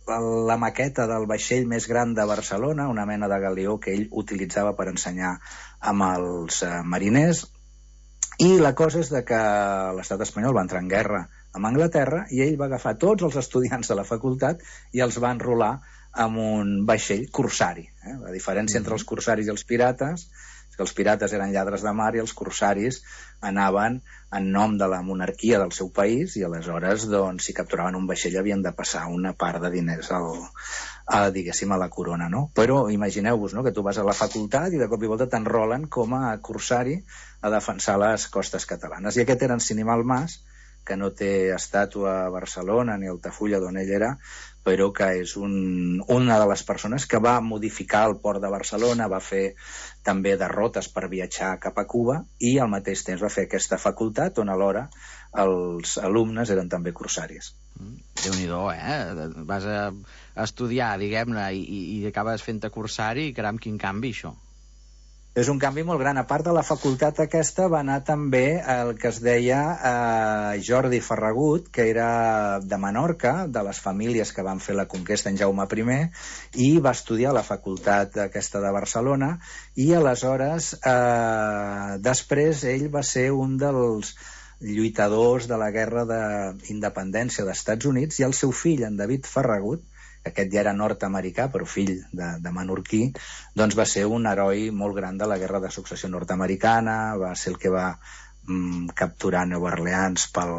la maqueta del vaixell més gran de Barcelona, una mena de galeó que ell utilitzava per ensenyar amb els mariners. I la cosa és de que l'estat espanyol va entrar en guerra amb Anglaterra i ell va agafar tots els estudiants de la facultat i els va enrolar amb un vaixell corsari. Eh? La diferència entre els corsaris i els pirates és que els pirates eren lladres de mar i els corsaris anaven en nom de la monarquia del seu país i aleshores, doncs, si capturaven un vaixell havien de passar una part de diners al, a, diguéssim, a la corona, no? Però imagineu-vos, no?, que tu vas a la facultat i de cop i volta t'enrolen com a corsari a defensar les costes catalanes. I aquest era en Sinimal Mas, que no té estàtua a Barcelona ni a Altafulla, d'on ell era, però que és un, una de les persones que va modificar el port de Barcelona, va fer també derrotes per viatjar cap a Cuba i al mateix temps va fer aquesta facultat on alhora els alumnes eren també corsaris. Déu-n'hi-do, eh? Vas a estudiar, diguem-ne, i, i acabes fent-te corsari, i caram, quin canvi, això. És un canvi molt gran. A part de la facultat aquesta va anar també el que es deia eh, Jordi Ferragut, que era de Menorca, de les famílies que van fer la conquesta en Jaume primer, i va estudiar a la facultat aquesta de Barcelona, i aleshores eh, després ell va ser un dels lluitadors de la guerra d'independència dels Estats Units, i el seu fill, en David Ferragut, aquest ja era nord-americà, però fill de, de menorquí, doncs va ser un heroi molt gran de la guerra de successió nord-americana, va ser el que va mm, capturar Nova Orleans pel,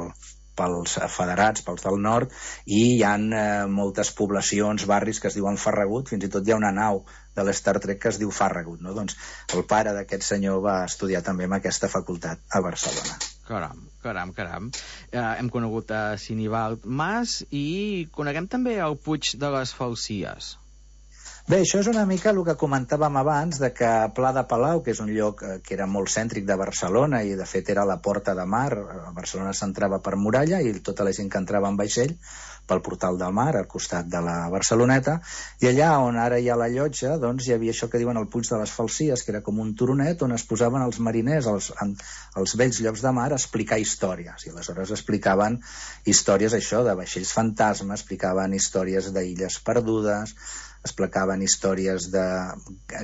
pels federats, pels del nord, i hi ha eh, moltes poblacions, barris que es diuen Ferragut, fins i tot hi ha una nau de l'Star Trek que es diu Farragut, no? Doncs el pare d'aquest senyor va estudiar també en aquesta facultat a Barcelona. Caram, caram, caram. Eh, hem conegut a Sinimal Mas i coneguem també el Puig de les Falsies. Bé, això és una mica el que comentàvem abans, de que Pla de Palau, que és un lloc que era molt cèntric de Barcelona i de fet era la porta de mar, a Barcelona s'entrava per muralla i tota la gent que entrava en vaixell pel portal del mar, al costat de la Barceloneta, i allà on ara hi ha la llotja, doncs hi havia això que diuen el Puig de les Falsies, que era com un turonet on es posaven els mariners als, als vells llocs de mar a explicar històries, i aleshores explicaven històries, això, de vaixells fantasma, explicaven històries d'illes perdudes, explicaven històries de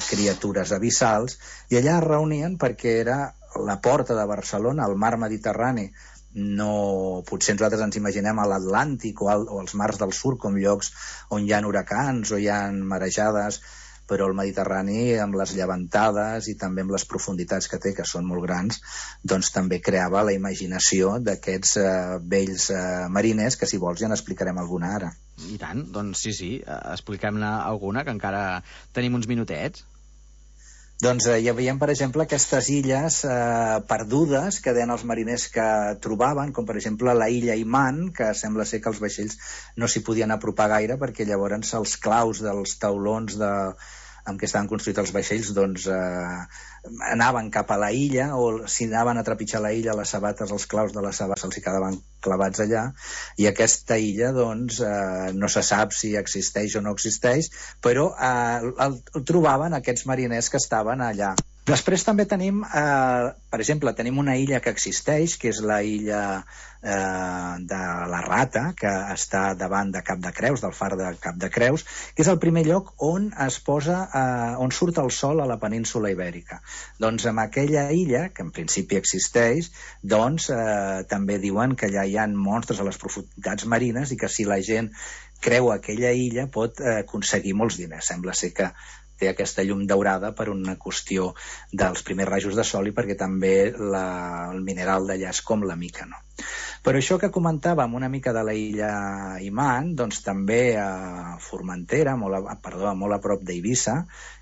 criatures abissals, i allà es reunien perquè era la porta de Barcelona, el mar Mediterrani. No, potser nosaltres ens imaginem a l'Atlàntic o, al, o als mars del sud com llocs on hi ha huracans o hi ha marejades, però el Mediterrani, amb les llevantades i també amb les profunditats que té, que són molt grans, doncs també creava la imaginació d'aquests eh, vells eh, mariners, que si vols ja n'explicarem alguna ara. I tant, doncs sí, sí, expliquem-ne alguna, que encara tenim uns minutets. Doncs eh, hi havia, per exemple, aquestes illes eh, perdudes que deien els mariners que trobaven, com per exemple la illa Iman, que sembla ser que els vaixells no s'hi podien apropar gaire perquè llavors els claus dels taulons de, amb què estaven construïts els vaixells doncs eh, anaven cap a la illa, o si anaven a trepitjar la illa, les sabates, els claus de les sabates els hi quedaven clavats allà, i aquesta illa doncs eh, no se sap si existeix o no existeix, però eh, el, el trobaven aquests mariners que estaven allà. Després també tenim, eh, per exemple, tenim una illa que existeix, que és la illa eh, de la Rata, que està davant de Cap de Creus, del far de Cap de Creus, que és el primer lloc on es posa, eh, on surt el sol a la península Ibèrica. Doncs amb aquella illa, que en principi existeix, doncs eh, també diuen que allà hi ha monstres a les profunditats marines i que si la gent creu aquella illa pot eh, aconseguir molts diners. Sembla ser que té aquesta llum daurada per una qüestió dels primers rajos de sol i perquè també la, el mineral d'allà és com la mica, no? Però això que comentàvem una mica de la illa Imant, doncs també a Formentera, molt a, perdó, molt a prop d'Eivissa,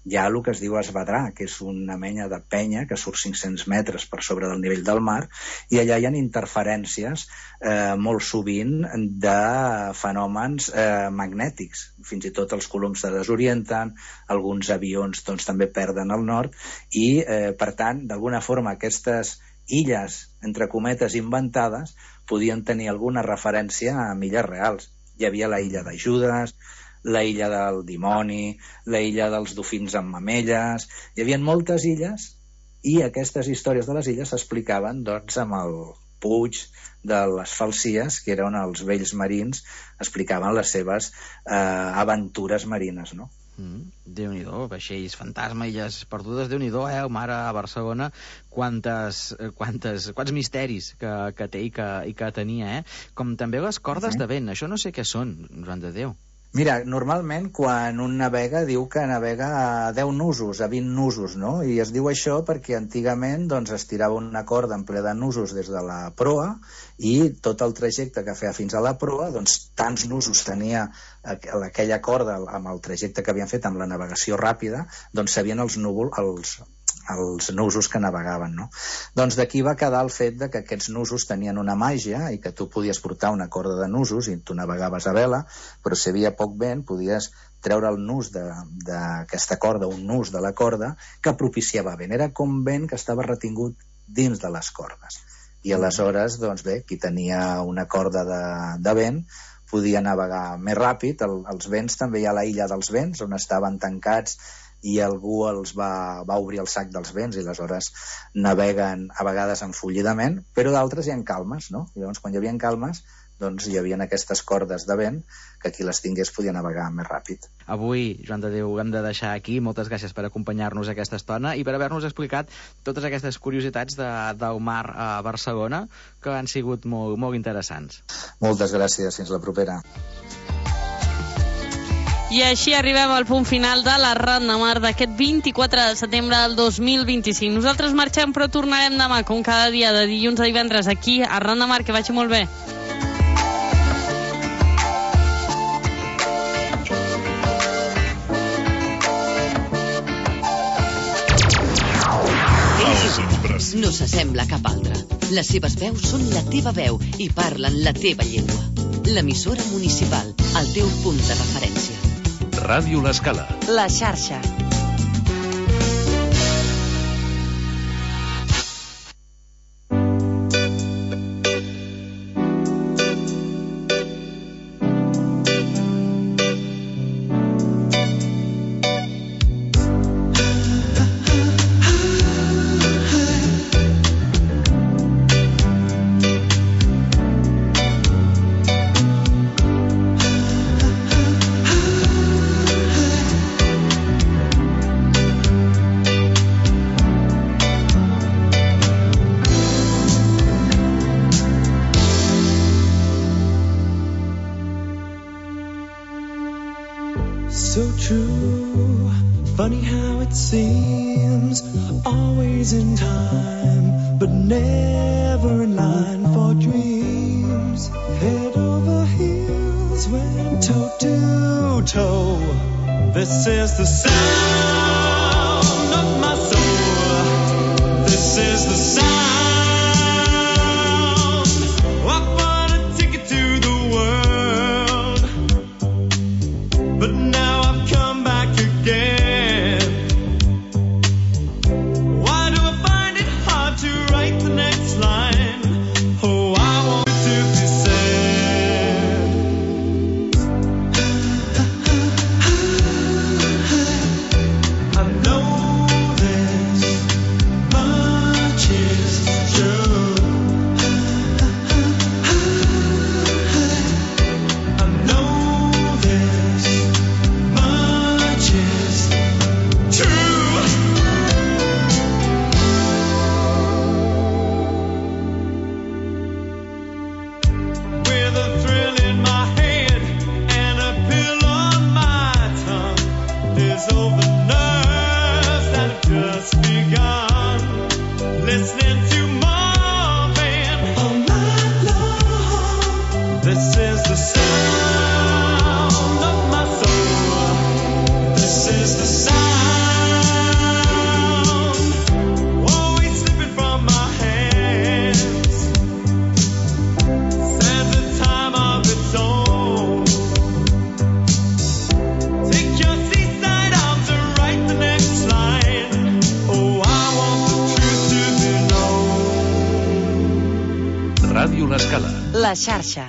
hi ha el que es diu Esvedrà, que és una menya de penya que surt cinc-cents metres per sobre del nivell del mar, i allà hi ha interferències eh, molt sovint de fenòmens eh, magnètics. Fins i tot els coloms se desorienten, alguns avions doncs, també perden el nord, i eh, per tant, d'alguna forma, aquestes illes, entre cometes, inventades, podien tenir alguna referència a illes reals. Hi havia la illa de Judes, la illa del dimoni, la illa dels dofins amb mamelles... Hi havia moltes illes i aquestes històries de les illes s'explicaven doncs, amb el puig de les Falsies, que eren els vells marins, explicaven les seves eh, aventures marines, no? Mm, Déu-n'hi-do, vaixells fantasma, illes perdudes, Déu-n'hi-do, eh, el mar a Barcelona, quantes, quantes, quants misteris que, que té i que, i que tenia, eh? Com també les cordes Sí. de vent, això no sé què són, Joan de Déu. Mira, normalment quan un navega diu que navega a deu nusos, a vint nusos, no? I es diu això perquè antigament doncs, es tirava una corda en ple de nusos des de la proa i tot el trajecte que feia fins a la proa, doncs tants nusos tenia aquella corda amb el trajecte que havien fet amb la navegació ràpida, doncs sabien els núvols, els els nusos que navegaven, no? Doncs d'aquí va quedar el fet de que aquests nusos tenien una màgia i que tu podies portar una corda de nusos i tu navegaves a vela, però si hi havia poc vent podies treure el nus d'aquesta corda, un nus de la corda que propiciava vent. Era com vent que estava retingut dins de les cordes. I aleshores, doncs bé, qui tenia una corda de, de vent podia navegar més ràpid. El, els vents, també hi ha la illa dels vents, on estaven tancats i algú els va, va obrir el sac dels vents i aleshores naveguen a vegades enfollidament, però d'altres hi ha calmes, no? I llavors quan hi havia calmes doncs hi havia aquestes cordes de vent que qui les tingués podia navegar més ràpid. Avui, Joan de Déu, hem de deixar aquí. Moltes gràcies per acompanyar-nos aquesta estona i per haver-nos explicat totes aquestes curiositats de, del mar a Barcelona que han sigut molt, molt interessants. Moltes gràcies, fins la propera. I així arribem al punt final de la Ran de Mar d'aquest vint-i-quatre de setembre del dos mil vint-i-cinc. Nosaltres marxem, però tornarem demà, com cada dia, de dilluns a divendres, aquí a Ran de Mar. Que vagi molt bé. No s'assembla a cap altra. Les seves veus són la teva veu i parlen la teva llengua. L'emissora municipal, el teu punt de referència. Ràdio L'Escala. La xarxa. So true, funny how it seems, always in time, but never in line for dreams. Head over heels, went toe to toe. This is the sound of my soul. This is the sound. I bought a ticket to the world, but now I've come back again. Why do I find it hard to write the next line? Oh, I want to be sad. I know this much is sound of my soul. This is the sound, always slipping from my hands. Stands a time of its own. Take your seaside arms and write the next line. Oh, I want the truth to be known. Ràdio L'Escala. La xarxa.